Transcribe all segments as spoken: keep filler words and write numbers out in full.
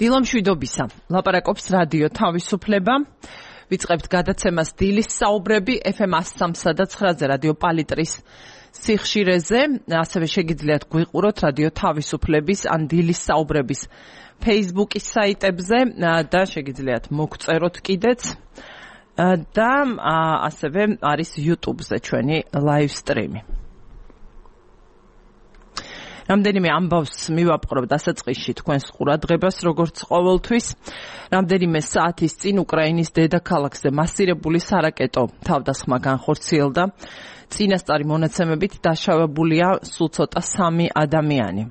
დილამშვიდობისა. ლაპარაკობს რადიო თავისუფლება. ვიწყებთ გადაცემას დილის საუბრები ეფ ემ one oh three და nine-ზე რადიო პალიტრის სიხშირეზე. ასევე შეგიძლიათ გვიყუროთ რადიო თავისუფლების ან დილის საუბრების Facebook-ის საიტებზე და შეგიძლიათ მოგწეროთ კიდეც. და ასევე არის YouTube-ზე ჩვენი live stream-ი. რამდენიმე ამბავს მივაპყრობ დასაწყისში თქვენს ყურადღებას, როგორც ყოველთვის. რამდენიმე საათის წინ უკრაინის დედაქალაქზე მასირებული სარაკეტო თავდასხმა განხორციელდა. წინასწარი მონაცემებით დაშავებულია სულ ცოტა სამი ადამიანი.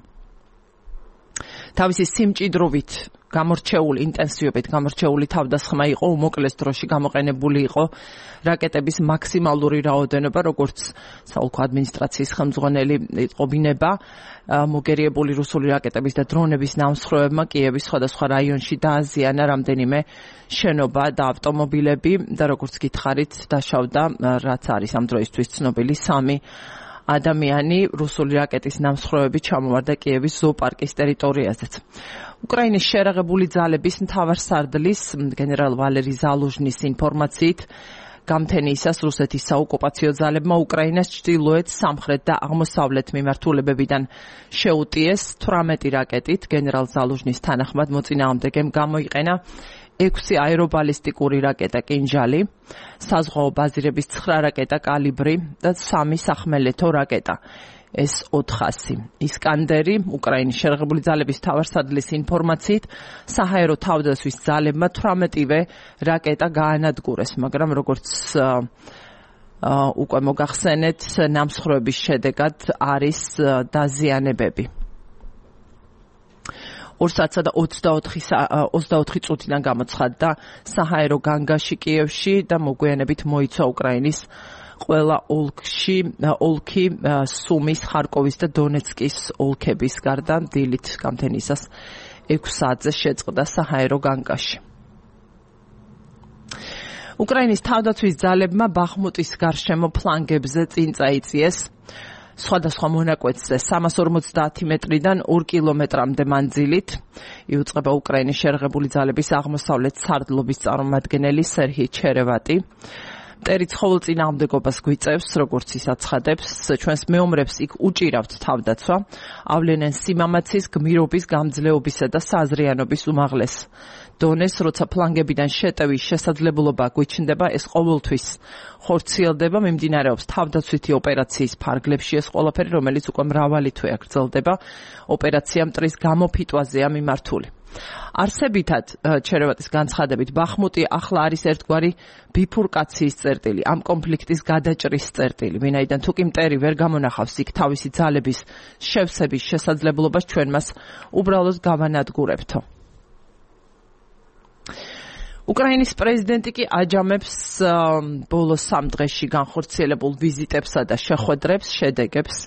თავისი სიმჭიდროვით გამორჩეული ინტენსივობით გამორჩეული თავდასხმა იყო, უმოკლეს დროში გამოყენებული იყო რაკეტების მაქსიმალური რაოდენობა, როგორც საოლქო ადმინისტრაციის ხელმძღვანელი იყვინება, მოგერიებული რუსული რაკეტების და დრონების ნამსხვრევებმა კიევის სხვადასხვა რაიონში დააზიანა რამდენიმე შენობა და ავტომობილები და როგორც გითხარით, დაშავდა, რაც არის ამ დროისთვის ცნობილი სამი ადამიანი. რუსული რაკეტის ნამსხვრევები ჩამოვარდა კიევის ზოოპარკის ტერიტორიაზეც. უკრაინის შერაღებული ძალების მთავარსარდლის გენერალ ვალერი ზალუჟნის ინფორმაციით, გამთენიისას რუსეთის საოკუპაციო ძალებმა უკრაინას ჩრდილოეთ, სამხრეთ და აღმოსავლეთ მიმართულებებიდან შეუტიეს თვრამეტი რაკეტით. გენერალ ზალუჟნის თანახმად მოწინააღმდეგემ გამოიყენა ექვსი აერობალისტიკური რაკეტა კინჟალი, საზღვაო ბაზირების ცხრა რაკეტა კალიბრი და სამი სახმელეთო რაკეტა ეს ოთხასი. ისკანდერი, უკრაინის შერაღებული ძალების მთავარსარდლის ინფორმაციით, საჰაერო თავდასხმის ძალებმა თვრამეტივე რაკეტა გაანადგურეს, მაგრამ როგორც უკვე მოგახსენეთ, ნამსხვრევების შედეგად არის დაზიანებები. ორ საათსა და ოცდაოთხი წუთიდან გამოცხადდა საჰაერო განგაში კიევში და მოგვიანებით მოიცვა უკრაინის ყველა ოლქში, ოლქი სუმის, ხარკოვის და დონეცკის ოლქების გარდა დილით გამთენიისას ექვს საათზე შეწყდა საჰაერო განგაში. უკრაინის თავდაცვის ძალებმა ბახმუტის გარშემო ფლანგებზე წინ წაიწიეს სხვადასხვა მონაკვეთზე სამას ორმოცდაათი მეტრიდან ორ კილომეტრამდე მანძილით. იუწყება უკრაინის შერაღებული ძალების აღმოსავლეთ სარდლობის წარმომადგენელი სერჰი ჩერევატი. მტერი ცხოველწინააღმდეგობას გვიწევს, როგორც ის აცხადებს, ჩვენს მეომრებს იქ უჭირავთ თავდაცვა, ავლენენ სიმამაცის, გმირობის, გამძლეობისა და საზრიანობის უმაღლეს დონეს, როცა ფლანგებიდან შეტევის შესაძლებლობა გვიჩნდება, ეს ყოველთვის ხორციელდება, მიმდინარეობს თავდაცვითი ოპერაციის ფარგლებში ეს ყველაფერი, რომელიც უკვე მრავალი თვეა გრძელდება. ოპერაცია მტრის გამოფიტვაზეა მიმართული. არსებითად, ჩერევატის განცხადებით, ბახმუტი ახლა არის ერთგვარი ბიფურკაციის წერტილი, ამ კონფლიქტის გადაჭრის წერტილი, ვინაიდან თუკი მტერი ვერ გამონახავს იქ თავისი ძალების შევსების შესაძლებლობას, ჩვენ მას უბრალოდ გავანადგურებთო. უკრაინის პრეზიდენტი კი აჯამებს ბოლო სამ დღეში განხორციელებულ ვიზიტებსა და შეხვედრებს, შედეგებს.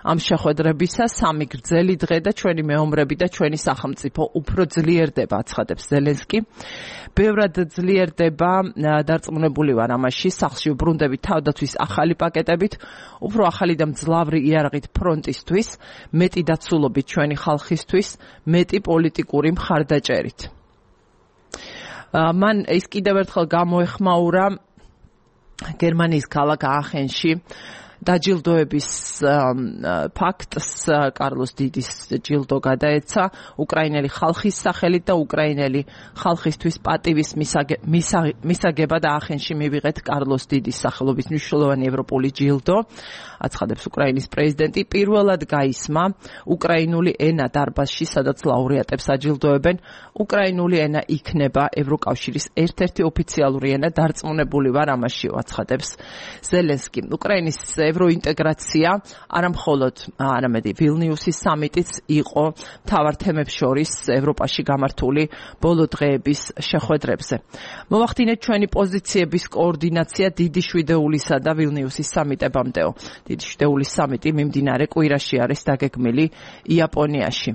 ამ შეხვედრებისა სამი გრძელი დღე და ჩვენი მეომრები და ჩვენი სახელმწიფო უფრო ძლიერდება, აცხადებს ზელენსკი. ბევრად ძლიერდება, დარწმუნებული ვარ ამაში, სახლში ვბრუნდებით თავდაცვის ახალი პაკეტებით, უფრო ახალი და მძლავრი იარაღით ფრონტისთვის, მეტი დაცულობით ჩვენი ხალხისთვის, მეტი პოლიტიკური მხარდაჭერით. მან ის კიდევ ერთხელ გამოეხმაურა გერმანიის ქალაქ აახენში დაჯილდოების ფაქტს. კარლოს დიდის ჯილდო გადაეცა უკრაინელი ხალხის სახელით და უკრაინელი ხალხისთვის პატივის მისაგებად აახენში მივიღეთ კარლოს დიდის სახელობის მნიშვნელოვანი ევროპული ჯილდო, აცხადებს უკრაინის პრეზიდენტი. პირველად გაისმა უკრაინული ენა დარბაზში, სადაც ლაურეატებს აჯილდოებენ. უკრაინული ენა იქნება ევროკავშირის ერთ-ერთი ოფიციალური ენა, დარწმუნებული ვარ ამაში, აცხადებს ზელენსკი. უკრაინის ევროინტეგრაცია არამხოლოდ არამედ ვილნიუსის სამიტიც იყო მთავარ თემებს შორის ევროპაში გამართული ბოლო დღეების შეხვედრებზე. მოვახდინეთ ჩვენი პოზიციების კოორდინაცია დიდი შვიდეულისა და ვილნიუსის სამიტებამდეო. დიდი შვიდეულის სამიტი მიმდინარე კვირაში არის დაგეგმილი იაპონიაში.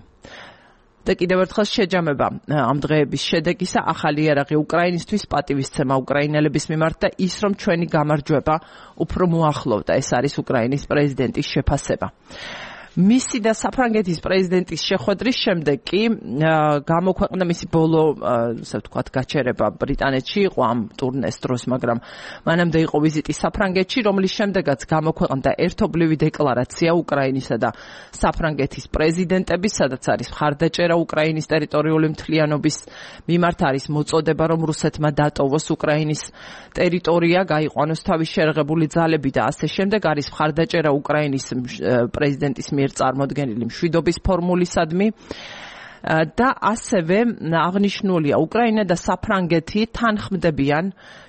და კიდევ ერთხელ შეჯამება ამ დღეების შედეგისა, ახალი იარაღი უკრაინისთვის, პატივისცემა უკრაინელების მიმართ და ის, რომ ჩვენი გამარჯვება უფრო მოახლოვდა. ეს არის უკრაინის პრეზიდენტის შეფასება. მისი და საფრანგეთის პრეზიდენტის შეხვედრის შემდეგ კი გამოქვეყნდა მისი ბოლო, ასე ვთქვათ, გაჩერება ბრიტანეთში იყო ამ ტურნეს დროს, მაგრამ მანამდე იყო ვიზიტი საფრანგეთში, რომლის შემდეგაც გამოქვეყნდა ერთობლივი დეკლარაცია უკრაინისა და საფრანგეთის პრეზიდენტების, სადაც არის მხარდაჭერა უკრაინის ტერიტორიული მთლიანობის მიმართ, არის მოწოდება, რომ რუსეთმა დატოვოს უკრაინის ტერიტორია, გაიყვანოს თავის შერღებული ძალები და ასე შემდეგ, არის მხარდაჭერა უკრაინის პრეზიდენტის მიერ წარმოდგენილი მშვიდობის ფორმულისადმი და ასევე აღნიშნულია უკრაინა და საფრანგეთი თანხმდებიან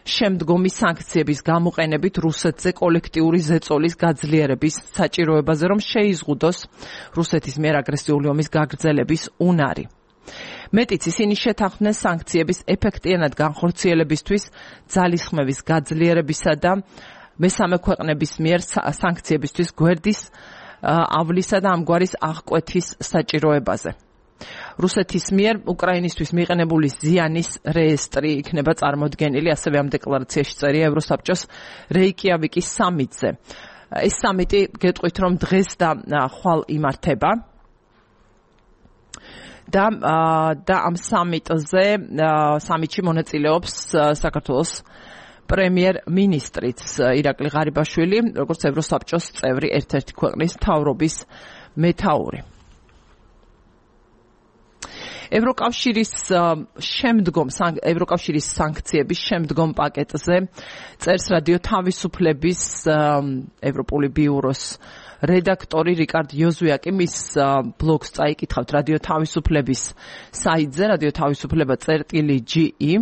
შემდგომი სანქციების გამოყენებით რუსეთზე კოლექტიური ზეწოლის გაძლიერების საჭიროებაზე, რომ შეიზღუდოს რუსეთის მიერ აგრესიული ომის გაგრძელების უნარი. მეტიც ისინი შეთანხმდნენ სანქციების ეფექტიანად განხორციელებისთვის ძალისხმევის გაძლიერებისა და მესამე ქვეყნების მიერ სანქციებისთვის გვერდისავლისა და ამგვარის აღკვეთის საჭიროებაზე. რუსეთის მიერ უკრაინისთვის მიყენებული ზიანის რეესტრი იქნება წარმოდგენილი, ასევე ამ დეკლარაციაში წერია ევროსაბჭოს რეიკიავიკის სამიტზე. ეს სამიტი გეტყვით, რომ დღეს და ხვალ იმართება. და და ამ სამიტზე სამიტში მონაწილეობს საქართველოს პრემიერ-მინისტრიც ირაკლი ღარიბაშვილი, როგორც ევროსაბჭოს წევრი ერთ-ერთი ქვეყნის მთავრობის მეთაური. ევროკავშირის შემდგომ ევროკავშირის სანქციების შემდგომ პაკეტზე წერს რადიო თავისუფლების ევროპული ბიუროს რედაქტორი რიკარდ იოზვიაკი, მის ბლოგს წაიკითხავთ რადიო თავისუფლების საიტზე, რადიო თავისუფლება წერტილი ჯი ი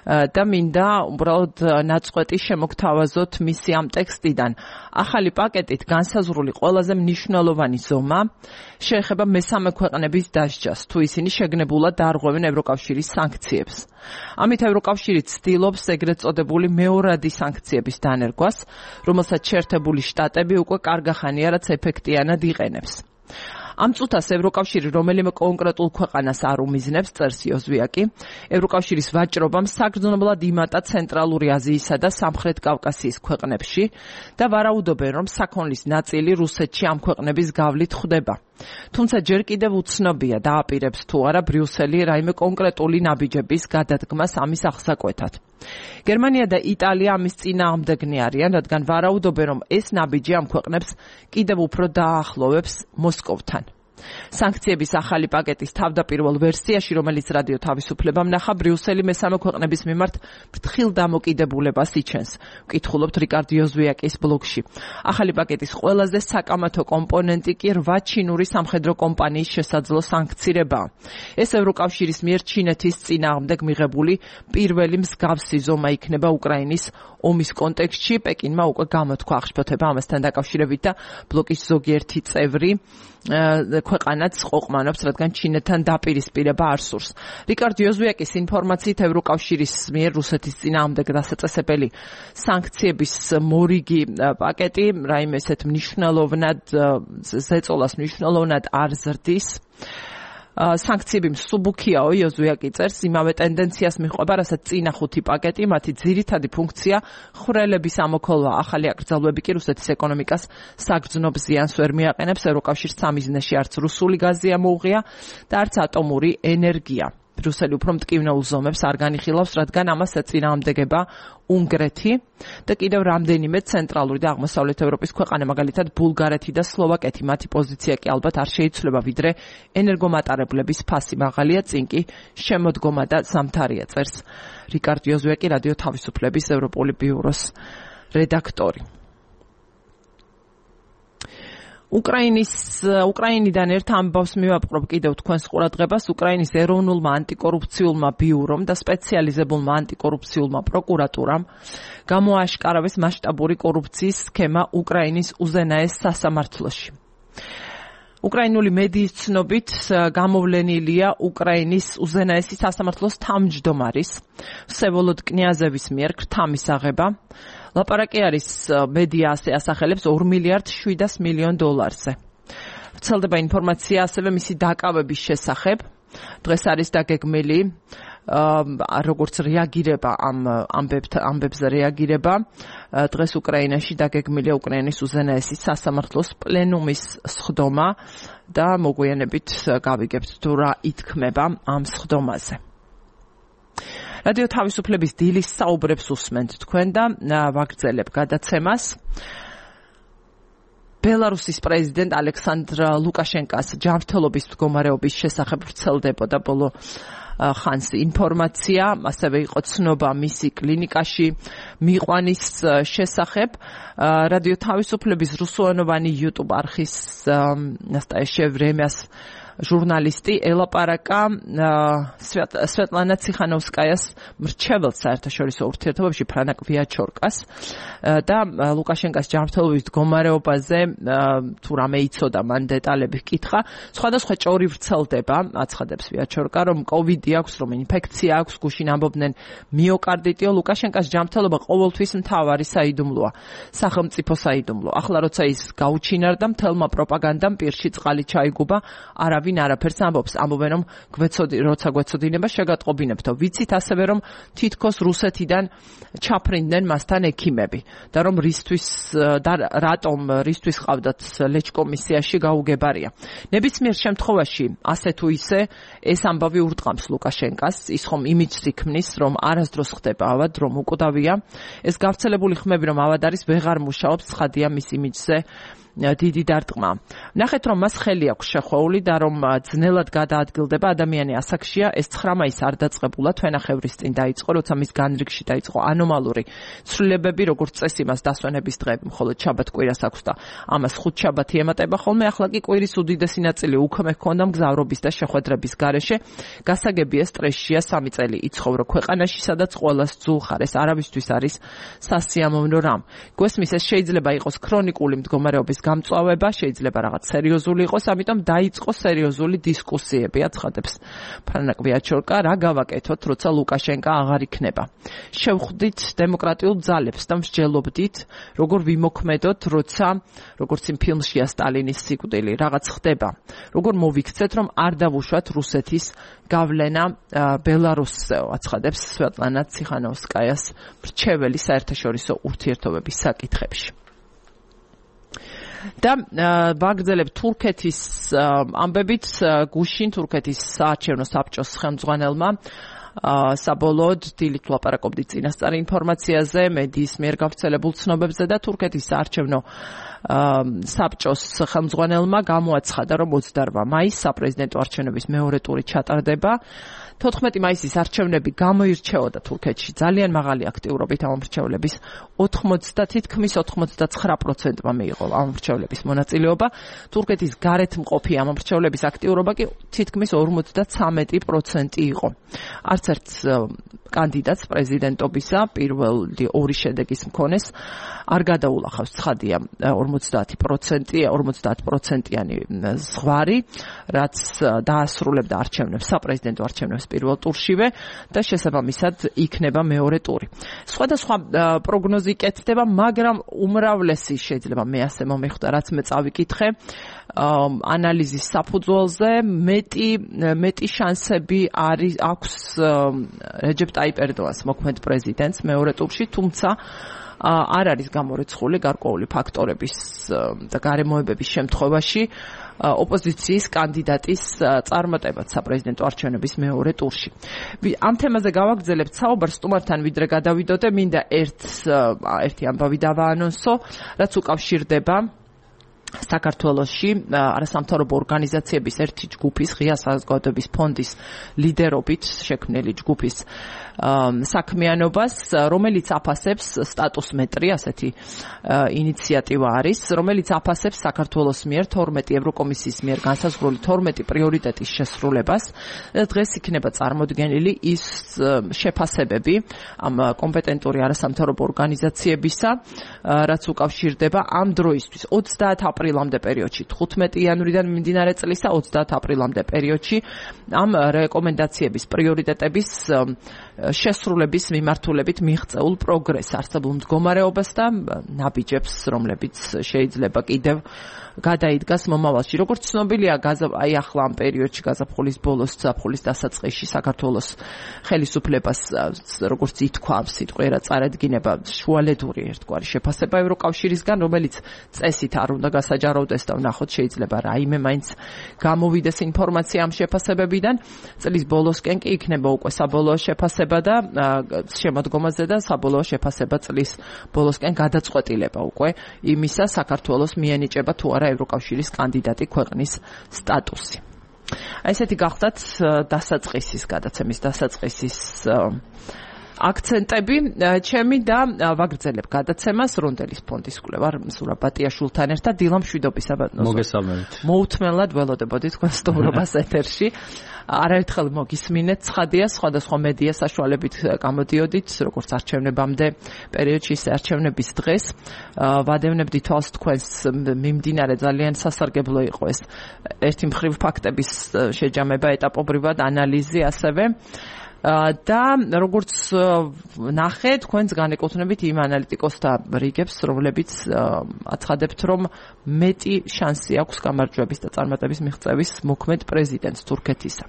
და მინდა უბრალოდ ნაწყვეტი შემოგთავაზოთ მისი ამ ტექსტიდან. ახალი პაკეტით განსაზღვრული ყველაზე მნიშვნელოვანი ზომა შეეხება მესამე ქვეყნების დასჯას, თუ ისინი შეგნებულად დაარღვევენ ევროკავშირის სანქციებს. ამით ევროკავშირი ცდილობს ეგრეთ წოდებული მეორადი სანქციების დანერგვას, რომელსაც შეერთებული შტატები უკვე კარგახანია, რაც ეფექტიანად იყენებს. ამ წუთას ევროკავშირი რომელიმე კონკრეტულ ქვეყანას არ უმიზნებს, წერს იოზვიაკი, ევროკავშირის ვაჭრობამ საგრძნობლად იმატა ცენტრალური აზიისა და სამხრეთ კავკასიის ქვეყნებში და ვარაუდობენ, რომ საქონლის ნაწილი რუსეთში ამ ქვეყნების გავლით ხდება. თუმცა ჯერ კიდევ უცნობია, დააპირებს თუ არა ბრიუსელი რაიმე კონკრეტული ნაბიჯების გადადგმას ამის აღსაკვეთად. გერმანია და იტალია ამის წინააღმდეგნი არიან, რადგან ვარაუდობენ, რომ ეს ნაბიჯი ამ ქვეყნებს კიდევ უფრო დააახლოვებს მოსკოვთან. სანქციების ახალი პაკეტის თავდაპირველ ვერსიაში, რომელიც რადიო თავისუფლებამ ნახა, ბრიუსელი მესამე ქვეყნების მიმართ ფრთხილ დამოკიდებულებას იჩენს. ვკითხულობთ რიკარდ იოზვიაკის ბლოგში. ახალი პაკეტის ყველაზე საკამათო კომპონენტი კი რვა ჩინური სამხედრო კომპანიის შესაძლო სანქცირებაა. ეს ევროკავშირის მიერ ჩინეთის წინააღმდეგ მიღებული პირველი მსგავსი ზომა იქნება უკრაინის ომის კონტექსტში. პეკინმა უკვე გამოთქვა აღშფოთება ამასთან დაკავშირებით და ბლოკის ზოგიერთი წევრი ქვეყანაც ყოყმანობს, რადგან ჩინეთთან დაპირისპირება არ სურს. რიკარდ იოზვიაკის ინფორმაციით ევროკავშირის მიერ რუსეთის წინააღმდეგ დასაწესებელი სანქციების მორიგი პაკეტი რაიმე ესეთ მნიშვნელოვნად ზეწოლას მნიშვნელოვნად არ ზრდის. სანქციები მსუბუქიაო, იოზვიაკი წერს, იმავე ტენდენციას მიჰყვება, რასაც წინა ხუთი პაკეტი, მათი ძირითადი ფუნქცია ხვრელების ამოქოლვა. ახალი აკრძალვები კი რუსეთის ეკონომიკას საგრძნობ ზიანს ვერ მიაყენებს. ევროკავშირს სამიზნეში არც რუსული გაზი ამოუღია და არც ატომური ენერგია. ბრიუსელი უფრო მტკივნეულ ზომებს არ განიხილავს, რადგან ამას ეწინააღმდეგება უნგრეთი და კიდევ რამდენიმე ცენტრალური და აღმოსავლეთ ევროპის ქვეყანა, მაგალითად ბულგარეთი და სლოვაკეთი. მათი პოზიცია კი ალბათ არ შეიცვლება, ვიდრე ენერგომატარებლების ფასი მაღალია, წინ კი შემოდგომა და ზამთარია, წერს რიკარდ იოზვიაკი, რადიო თავისუფლების ევროპული ბიუროს რედაქტორი. უკრაინის უკრაინიდან ერთ ამბავს მივაპყრობ კიდევ თქვენს ყურადღებას. უკრაინის ეროვნულმა ანტიკორუფციულმა ბიურომ და სპეციალიზებულმა ანტიკორუფციულმა პროკურატურამ გამოაშკარავეს მასშტაბური კორუფციის სქემა უკრაინის უზენაეს სასამართლოში. უკრაინული მედიის ცნობით გამოვლენილია უკრაინის უზენაესი სასამართლოს თავმჯდომარის ვსევოლოდ კნიაზევის მიერ ქრთამისაღება. ლაპარაკი არის მედია ასე ასახელებს ორ მილიარდ შვიდას მილიონ დოლარზე. ვრცელდება ინფორმაცია ასევე მისი დაკავების შესახებ. დღეს არის დაგეგმილი როგორც რეაგირება ამ ამბებზე რეაგირება დღეს უკრაინაში დაგეგმილია უკრაინის უზენაესი სასამართლოს პლენუმის სხდომა და მოგვიანებით გავიგებთ თუ რა ითქმება ამ სხდომაზე. რადიო თავისუფლების დილის საუბრებს უსმენთ თქვენ და ვაგრძელებ გადაცემას. ბელარუსის პრეზიდენტ ალექსანდრ ლუკაშენკას ჯანმრთელობის მდგომარეობის შესახებ ვრცელდებოდა ბოლო ხანს ინფორმაცია, ასევე იყო ცნობა მისი კლინიკაში მიყვანის შესახებ. რადიო თავისუფლების რუსულენოვანი YouTube არხის ნასტაეშე ვრემიას ჟურნალისტი ელაპარაკა სვეტლანა ციხანოვსკაიას მრჩეველს საერთაშორისო ურთიერთობებში ფრანაკ ვიაჩორკას და ლუკაშენკას ჯანმრთელობის მდგომარეობაზე თუ რამე იცოდა მან დეტალები ჰკითხა. სხვადასხვა ჭორი ვრცელდება, აცხადებს ვიაჩორკა, რომ კოვიდი აქვს, რომ ინფექცია აქვს, გუშინ ამბობდნენ მიოკარდიტიო. ლუკაშენკას ჯანმრთელობა ყოველთვის მთავარი საიდუმლოა, სახელმწიფო საიდუმლო. ახლა როცა ის გაუჩინარდა, მთელმა პროპაგანდამ პირში წყალი ჩაიგუბა, არა ვინ არაფერს ამბობს, ამბობენ რომ გვეცოდი, როცა გვეცოდინება შეგატყობინებთო. ვიცით ასევე რომ თითქოს რუსეთიდან ჩაფრინდნენ მასთან ექიმები და რომ რისთვის და რატომ რისთვის ყავდათ ლეჩკომისიაში გაუგებარია. ნებისმიერ შემთხვევაში ასე თუ ისე ეს ამბავი ურტყამს ლუკაშენკას, ის ხომ იმიჯს იქმნის, რომ არასდროს ხდება ავად, რომ უკუდავია. ეს გავრცელებული ხმები რომ ავად არის ვეღარ მუშაობს, ცხადია მის იმიჯზე დიდი დარტყმა. ნახეთ რომ მას ხელი აქვს შეხვეული და რომ ძნელად გადაადგილდება ადამიანი ასაკშია. ეს ცხრა მაისს არ დაწყებულა თვენახევრის წინ დაიწყო, როცა მის განრიგში დაიწყო ანომალური ცვლილებები, როგორც წესი მას დასვენების დღეები მხოლოდ შაბათ კვირას აქვს და ამას ხუთშაბათი ემატება ხოლმე. ახლა კი კვირის უდიდესი ნაწილი უქმე ჰქონდა მგზავრობის და შეხვედრების გარეშე. გასაგებია სტრესშია, სამი წელი იცხოვრო ქვეყანაში, სადაც ყველას ძულხარ. ეს არავისთვის არის სასიამოვნო რამ. გვესმის ეს შეიძლება იყოს ქრონიკული მდგომარეობის გამწვავება, შეიძლება რაღაც სერიოზული იყოს, ამიტომ დაიწყო სერიოზული დისკუსიები, აცხადებს ფრანაკ ვიაჩორკა, რა გავაკეთოთ, როცა ლუკაშენკა აღარ იქნება. შევხვდით დემოკრატიულ ძალებს და მსჯელობდით, როგორ ვიმოქმედოთ, როცა როგორც იმ ფილმშია სტალინის სიკვდილი, რაღაც ხდება. როგორ მოვიქცეთ, რომ არ დავუშვათ რუსეთის გავლენა ბელარუსზე, აცხადებს სვეტლანა ციხანოვსკაიას მრჩეველი საერთაშორისო ურთიერთობების საკითხებში. და ვაგრძელებ თურქეთის ამბებით. გუშინ თურქეთის საარჩევნო საბჭოს ხელმძღვანელმა საბოლოოდ დილით ვლაპარაკობდით წინასწარ ინფორმაციაზე, მედიის მიერ გავრცელებულ ცნობებზე და თურქეთის საარჩევნო საბჭოს ხელმძღვანელმა გამოაცხადა, რომ ოცდაორ მაისს საპრეზიდენტო არჩევნების მეორე ტური ჩატარდება. თოთხმეტი მაისის არჩევნები გამოირჩეოდა თურქეთში ძალიან მაღალი აქტიურობით ამ მრჩევლების ოთხმოცდა თითქმის ოცდათვრამეტ პროცენტმა მიიღო ამ მრჩევლების მონაწილეობა. თურქეთის გარეთ მყოფი ამ მრჩევლების აქტიურობა კი თითქმის ორმოცდათვრამეტი პროცენტი იყო. არც ერთ კანდიდატს პრეზიდენტობისა პირველი ორი შედეგის მქონეს არ გადაულახავს, ცხადია, ორმოცდაათი პროცენტი, ორმოცდაათ პროცენტიანი ზღვარი, რაც დაასრულებდა არჩევნებს, საპრეზიდენტო არჩევნებს პირველ ტურშივე და შესაბამისად იქნება მეორე ტური. სხვადასხვა პროგნოზი კეთდება, მაგრამ უმრავლესი შეიძლება მე ასე მომეხვდა, რაც მე წავიკითხე ანალიზის საფუძველზე, მეტი მეტი შანსები არის აქვს რეჯეპ ტაიპ ერდოღანს მოქმედ პრეზიდენტს მეორე ტურში, თუმცა არ არის გამორიცხული გარკვეული ფაქტორების და გარემოებების შემთხვევაში ოპოზიციის კანდიდატის წარმატებაც საპრეზიდენტო არჩევნების მეორე ტურში. ამ თემაზე გავაგრძელებთ საუბარს სტუმართან, ვიდრე გადავიდოდე, მინდა ერთ ერთი ამბავი დავაანონსო, რაც უკავშირდება საქართველოში არასამთავრობო ორგანიზაციების ერთი ჯგუფის, ღია საზოგადოების ფონდის ლიდერობით შექმნილი ჯგუფის საქმიანობას, რომელიც აფასებს სტატუს მეტრი, ასეთი ინიციატივა არის, რომელიც აფასებს საქართველოს მიერ თორმეტი ევროკომისიის მიერ განსაზღვრული თორმეტი პრიორიტეტის შესრულებას. დღეს იქნება წარმოდგენილი ის შეფასებები ამ კომპეტენტური არასამთავრობო ორგანიზაციებისა, რაც უკავშირდება ამ დროისთვის ოცდაათ აპრილამდე პერიოდში, თხუთმეტი იანვრიდან მიმდინარე წლისა ოცდაათ აპრილამდე პერიოდში ამ რეკომენდაციების პრიორიტეტების შესრულების მიმართულებით მიღწეულ პროგრესს, არსებულ მდგომარეობას და ნაბიჯებს, რომლებიც შეიძლება კიდევ გადაიდგას მომავალში. როგორც ცნობილია, აი ახლა ამ პერიოდში გაზაფხულის ბოლოს, ზაფხულის დასაწყისში საქართველოს ხელისუფლებას, როგორც ითქვა ამ სიტყვერა წარადგინება შუალედური ერთგვარი შეფასება ევროკავშირისგან, რომელიც წესით არ უნდა გასაჯაროვდეს და ვნახოთ შეიძლება რაიმე მაინც გამოვიდეს ინფორმაცია ამ შეფასებებიდან. წლის ბოლოსკენ კი იქნება უკვე საბოლოო შეფასება და შემოდგომაზე და საბოლოო შეფასება წლის ბოლოსკენ გადაწყვეტილება უკვე იმისა საქართველოს მიენიჭება თუ არა ევროკავშირის კანდიდატი ქვეყნის სტატუსი. აი ესეთი გახდათ დასაწყისის გადაცემის დასაწყისის აქცენტები. ჩემი და ვაგრძელებ გადაცემას რონდელის ფონდის კვლევარ მსურა ბატიაშვილთან ერთად დილა მშვიდობისა ბატონო. მოგესალმებით. მოუთმენლად ველოდებოდი თქვენ სტუმრობას ეთერში. არაერთხელ მოგისმინეთ, ცხადია, სხვადასხვა მედია საშუალებით გამოდიოდით, როგორც არჩევნებამდე პერიოდში, ისე არჩევნების დღეს. ვადევნებდი თვალს თქვენს მიმდინარე ძალიან სასარგებლო იყო ეს ერთი მხრივ ფაქტების შეჯამება, ეტაპობრივად ანალიზი ასევე. და როგორც ნახე, თქვენს განეკუთვნებით იმ ანალიტიკოსთა რიგებს, რომლებიც აცხადებთ, რომ მეტი შანსი აქვს გამარჯვების და წარმატების მიღწევის მოქმედ პრეზიდენტს თურქეთისა.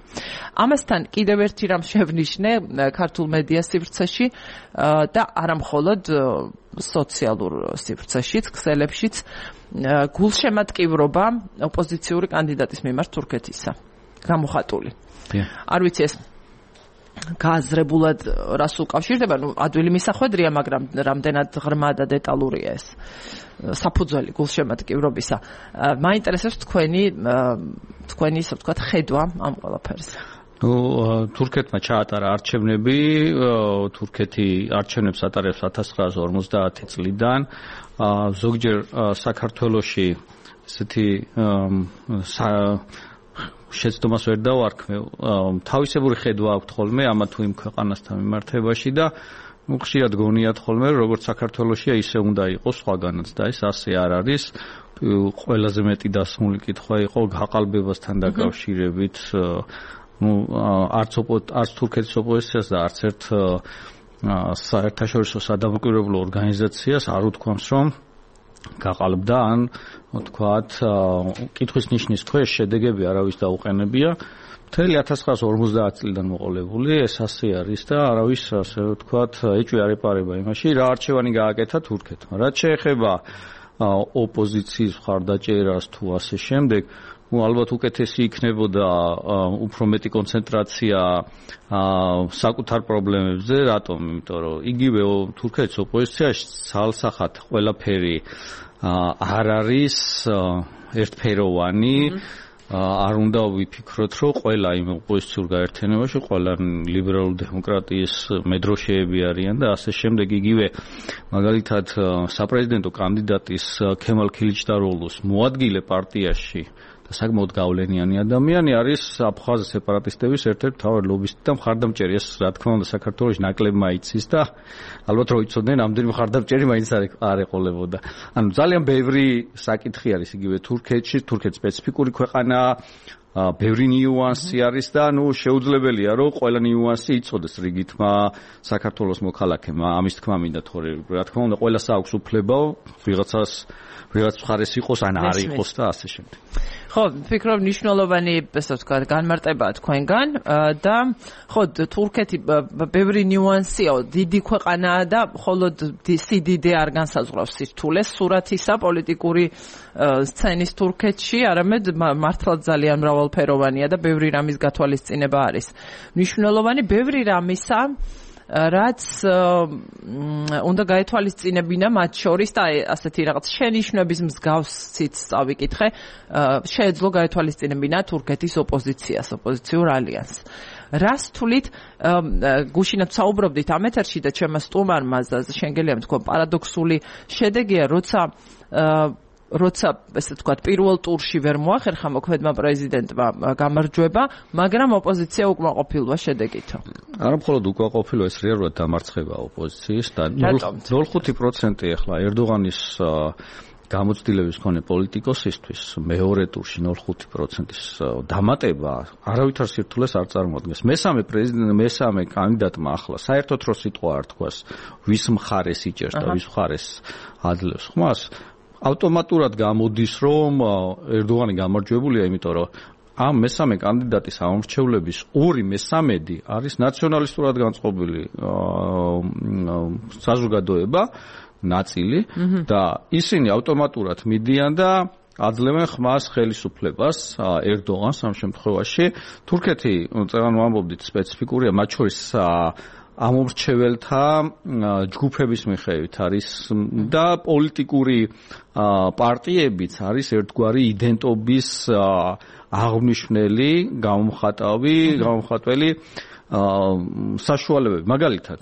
ამასთან კიდევ ერთი რამ შევნიშნე ქართულ მედია სივრცეში და არა მხოლოდ სოციალურ სივრცეშიც, ქსელებშიც, გულშემატკივრობა ოპოზიციური კანდიდატის მიმართ თურქეთისა. გამოხატული. არ ვიცი ეს გააზრებულად რას უკავშირდება, ნუ ადვილი მისახვედრია, მაგრამ რამდენად ღრმა და დეტალურია ეს საფუძველი გულშემატკივრობისა. მაინტერესებს თქვენი თქვენი ისე ვთქვათ ხედვა ამ ყველაფერზე. ნუ თურქეთმა ჩაატარა არჩევნები, თურქეთი არჩევნებს ატარებს ათას ცხრაასი ორმოცდაათი წლიდან. ზოგჯერ საქართველოში ესეთი შეცდომას ვერ დავარქმევ, თავისებური ხედვა აქვთ ხოლმე ამა თუ იმ ქვეყანასთან მიმართებაში და ხშირად გონიათ ხოლმე, როგორც საქართველოშია, ისე უნდა იყოს სხვაგანაც და ეს ასე არ არის. ყველაზე მეტი დასმული კითხვა იყო გაყალბებასთან დაკავშირებით, ნუ არც არც თურქეთის ოპოზიციას და არც ერთ საერთაშორისო სადამკვირვებლო ორგანიზაციას არ უთქვამს, რომ გაყალბდა ან თქვათ კითხვის ნიშნის ქვეშ შედეგები არავის დაუყენებია. მთელი ათას ცხრაასი ორმოცდაათი წლიდან მოყოლებული ეს ასე არის და არავის ასე ვთქვათ ეჭვი არ ეპარება იმაში, რა არჩევანი გააკეთა თურქეთმა. რაც შეეხება ოპოზიციის მხარდაჭერას თუ ასე შემდეგ, ну ალბათ უკეთესი იქნებოდა უფრო მეტი კონცენტრაცია საკუთარ პრობლემებზე, რატომ? იმიტომ რომ იგივე თურქეთის ოპოზიციაში ცალსახად ყველაფერი არ არის ერთფეროვანი, არ უნდა ვიფიქროთ, რომ ყველა იმ ოპოზიციურ გაერთიანებაში ყველა ლიბერალური დემოკრატიის მედროშეები არიან და ასე შემდეგ. იგივე მაგალითად საპრეზიდენტო კანდიდატის ქემალ ქილიჩდაროğluს მოადგილე პარტიაში საკმაოდ გავლენიანი ადამიანი არის აფხაზ სეპარატისტების ერთ-ერთი მთავარი ლობისტი და მხარდამჭერი. ეს რა თქმა უნდა საქართველოში ნაკლებმა იცის და ალბათ რო იცოდნენ, ამდენი მხარდამჭერი მაინც არ ეყოლებოდა. ანუ ძალიან ბევრი საკითხი არის იგივე თურქეთში, თურქეთი სპეციფიკური ქვეყანაა, ბევრი ნიუანსი არის და ნუ შეუძლებელია რომ ყველა ნიუანსი იცოდეს რიგითმა საქართველოს მოქალაქემ. ამის თქმა მინდა თორე რა თქმა უნდა ყველას აქვს უფლება ვიღაცას ვიღაც მხარეს იყოს ან არ იყოს და ასე შემდეგ. ხო, ვფიქრობ მნიშვნელოვანი, ესე ვთქვათ, განმარტებაა თქვენგან და ხო, თურქეთი ბევრი ნიუანსია, დიდი ქვეყანაა და მხოლოდ სიდიდე არ განსაზღვრავს სირთულეს სურათისა პოლიტიკური სცენის თურქეთში, არამედ მართლაც ძალიან მრავალფეროვანია და ბევრი რამის გათვალისწინება არის. მნიშვნელოვანი ბევრი რამისა რაც უნდა გაეთვალისწინებინა მათ შორის და ასეთი რაღაც შენიშვნების მსგავსით წავიკითხე, შეეძლო გაეთვალისწინებინა თურქეთის ოპოზიციას, ოპოზიციურ ალიანსს. რას თulit გუშინაც საუბრობდით ამ ეთერში და ჩემმა სტუმარმა შენგელია თქვა პარადოქსული შედეგია, როცა როცა ესე ვთქვათ პირველ ტურში ვერ მოახერხა მოქმედმა პრეზიდენტმა გამარჯვება, მაგრამ ოპოზიცია უკმაყოფილოა შედეგით. არა მხოლოდ უკმაყოფილოა, ეს რეალურად დამარცხება ოპოზიციის და ნულ ხუთი პროცენტი ახლა ერდოღანის გამოცდილების მქონე პოლიტიკოსისთვის მეორე ტურში ნულ ხუთი პროცენტის დამატება არავითარ სირთულეს არ წარმოადგენს. მესამე პრეზიდენტ მესამე კანდიდატმა ახლა საერთოდ რო სიტყვა არ თქვას, ვის მხარეს იჭერს და ვის მხარეს ადლევს ხმას, ავტომატურად გამოდის, რომ ერდოღანი გამარჯვებულია, იმიტომ რომ ამ მესამე კანდიდატის ამორჩევლების ორი მესამედი არის ნაციონალისტურად განწყობილი საზოგადოება ნაწილი და ისინი ავტომატურად მიდიან და აძლევენ ხმას ხელისუფლებას ერდოღანს ამ შემთხვევაში. თურქეთი, წეგან ვამბობდით, სპეციფიკურია, მათ შორის ამორჩეველთა ჯგუფების მიხედვით არის და პოლიტიკური პარტიებიც არის ერთგვარი იდენტობის აღმნიშვნელი, გამომხატავი, გამომხატველი საშუალებები. მაგალითად,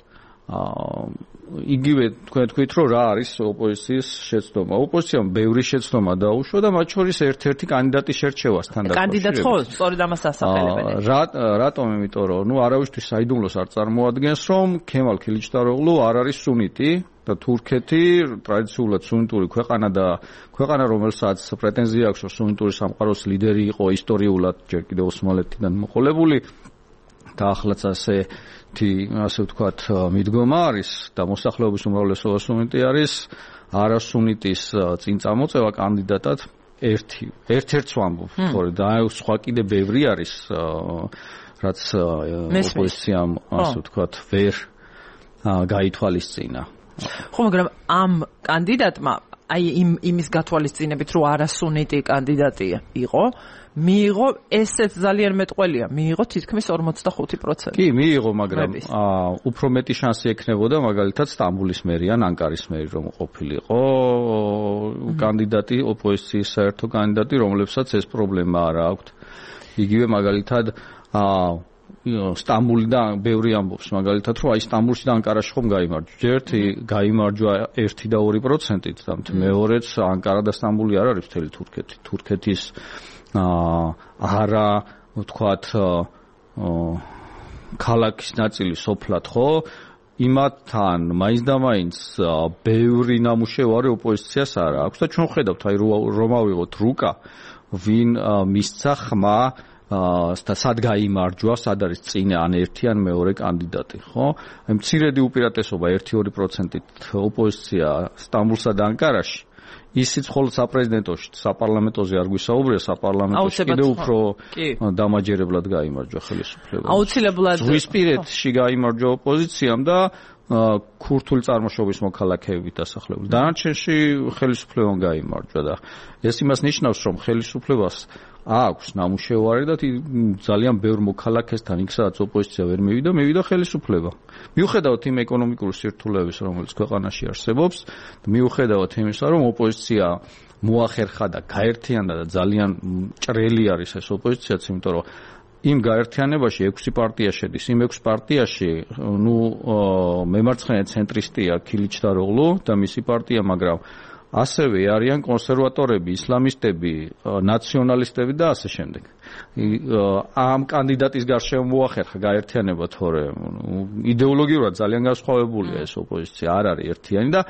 იგივე თქვენ თქვით, რომ რა არის ოპოზიციის შეცდომა. ოპოზიციამ ბევრი შეცდომა დაუშვა და მათ შორის ერთ-ერთი კანდიდატის შერჩევასთან დაკავშირებით. კანდიდატ ხო, სწორედ ამას ასახელებენ. რატომ? იმიტომ რომ ნუ არავისთვის საიდუმლოს არ წარმოადგენს, რომ ქემალ ქილიჩდაროღლუ არ არის სუნიტი და თურქეთი ტრადიციულად სუნიტური ქვეყანა და ქვეყანა, რომელსაც პრეტენზია აქვს, რომ სუნიტური სამყაროს ლიდერი იყო ისტორიულად ჯერ კიდევ ოსმალეთიდან მოყოლებული და ახლაც ასე ასე ვთქვათ მიდგომა არის და მოსახლეობის უმრავლესობა სუნიტი არის, არასუნიტის წინ წამოწევა კანდიდატად ერთი ერთ-ერთს ვამბობ, თორე და სხვა კიდე ბევრი არის, რაც ოპოზიციამ ასე ვთქვათ ვერ გაითვალისწინა. ხო, მაგრამ ამ კანდიდატმა აი იმ იმის გათვალისწინებით, რომ არასუნიტი კანდიდატი იყო, მიიღო ესეც ძალიან მეტყველია, მიიღო თითქმის ორმოცდახუთი პროცენტი. კი, მიიღო, მაგრამ უფრო მეტი შანსი ექნებოდა მაგალითად სტამბულის მერი ან ანკარის მერი რომ ყოფილიყო კანდიდატი, ოპოზიციის საერთო კანდიდატი, რომლებსაც ეს პრობლემა არ აქვთ. იგივე მაგალითად სტამბულიდან ბევრი ამბობს, მაგალითად, რომ აი სტამბულში და ანკარაში ხომ გაიმარჯვა. ერთი გაიმარჯვა ერთი და ორი პროცენტით და მეორეც ანკარა და სტამბული არ არის მთელი თურქეთი. თურქეთის არა, ვთქვათ, ქალაქის ნაწილი სოფლად, ხო? იმათთან მაინც და მაინც ბევრი ნამუშევარი ოპოზიციას არ აქვს და ჩვენ ხედავთ, აი რომ ავიღოთ რუკა, ვინ მისცა ხმა და სად გაიმარჯვა, სად არის წინა ან ერთი ან მეორე კანდიდატი, ხო? აი მცირედი უპირატესობა ერთი ორი პროცენტით ოპოზიცია სტამბულსა და ანკარაში. ისიც მხოლოდ საპრეზიდენტოში, საპარლამენტოზე არ გვისაუბრია, საპარლამენტოში კიდევ უფრო დამაჯერებლად გაიმარჯვა ხელისუფლება. აუცილებლად ზღვისპირეთში გაიმარჯვა ოპოზიციამ და ქურთული წარმოშობის მოქალაქეებით დასახლებული. დანარჩენში ხელისუფლებამ გაიმარჯვა და ეს იმას ნიშნავს, რომ ხელისუფლებას აქვს ნამუშევარი და ძალიან ბევრ მოქალაქესთან იქ სადაც ოპოზიცია ვერ მივიდა, მივიდა ხელისუფლება. მიუხედავად იმ ეკონომიკური სირთულეების, რომელიც ქვეყანაში არსებობს, მიუხედავად იმისა, რომ ოპოზიცია მოახერხა და გაერთიანდა და ძალიან ჭრელი არის ეს ოპოზიციაც, იმიტომ რომ იმ გაერთიანებაში ექვსი პარტია შედის. იმ ექვს პარტიაში, ნუ მემარცხენე ცენტრისტია ქილიჩდაროღლუ და მისი პარტია, მაგრამ ასევე არიან კონსერვატორები, ისლამისტები, ნაციონალისტები და ასე შემდეგ. ამ კანდიდატის გარშემო მოახერხა გაერთიანება, თორე იდეოლოგიურად ძალიან განსხვავებულია ეს ოპოზიცია, არ არის ერთიანი და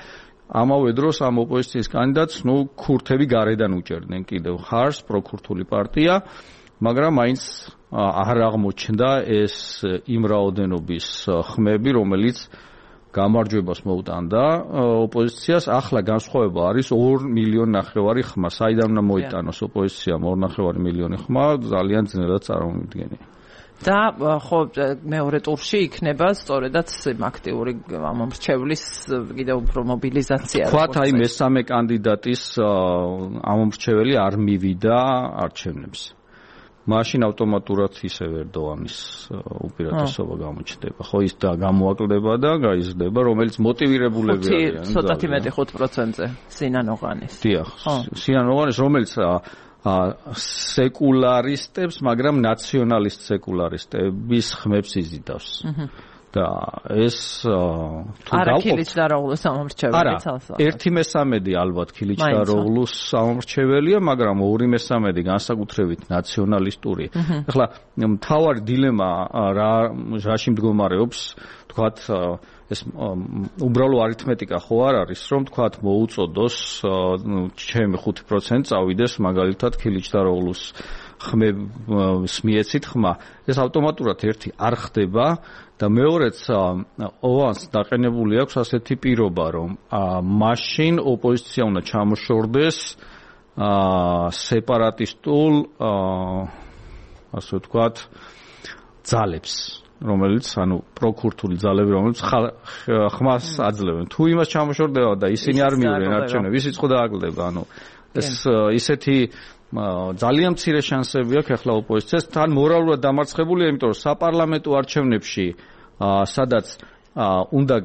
ამავე დროს ამ ოპოზიციის კანდიდატს, ნუ ქურთები გარედან უჭერდნენ კიდევ ხარს, პროქურთული პარტია, მაგრამ მაინც არ აღმოჩნდა ეს იმ რაოდენობის ხმები, რომელიც გამარჯვებას მოუტანდა ოპოზიციას. ახლა განსხვავება არის ორ მილიონ ნახევარი ხმა. საიდან უნდა მოიტანოს ოპოზიციამ ორ ნახევარი მილიონი ხმა, ძალიან ძნელად წარმოვიდგენია. და ხო მეორე ტურში იქნება სწორედაც აქტიური ამომრჩევლის კიდევ უფრო მობილიზაცია. თქვათ აი მესამე კანდიდატის ამომრჩეველი არ მივიდა არჩევნებს. მაშინ ავტომატურად ისევ ერდოღანის უპირატესობა გამოჩნდება. ხო, ის და გამოაკლდება და გაიზრდება, რომელიც მოტივირებულები არიან. ცოტათი მეტი ხუთ პროცენტზე სინან ოღანის. დიახ, სინან ოღანის, რომელიც სეკულარისტებს, მაგრამ ნაციონალისტ სეკულარისტების ხმებს იზიდავს. და ეს თუ გავყოფთ ქილიჩდაროღლუს სამომრჩეველი ცალსა. ერთი მესამედი ალბათ ქილიჩდაროღლუს სამომრჩეველია, მაგრამ ორი მესამედი განსაკუთრებით ნაციონალისტური. ახლა მთავარი დილემა რა რაში მდგომარეობს, თქვათ ეს უბრალო არითმეტიკა ხო არ არის, რომ თქვათ მოუწოდოს ჩემი ხუთი პროცენტი წავიდეს მაგალითად ქილიჩდაროღლუს ხმებს მიეცით ხმა. ეს ავტომატურად ერთი არ ხდება და მეორეც ოვანს დაყენებული აქვს ასეთი პირობა, რომ მაშინ ოპოზიცია უნდა ჩამოშორდეს სეპარატისტულ ასე ვთქვათ ძალებს, რომელიც ანუ პროკურთული ძალები, რომელიც ხმას აძლევენ. თუ იმას ჩამოშორდება და ისინი არ მიიღენ არჩევნებს, ისიც ხო დააკლდება. ანუ ეს ისეთი ძალიან მცირე შანსები აქვს ახლა ოპოზიციას, თან მორალურად დამარცხებულია, იმიტომ რომ საპარლამენტო არჩევნებში სადაც უნდა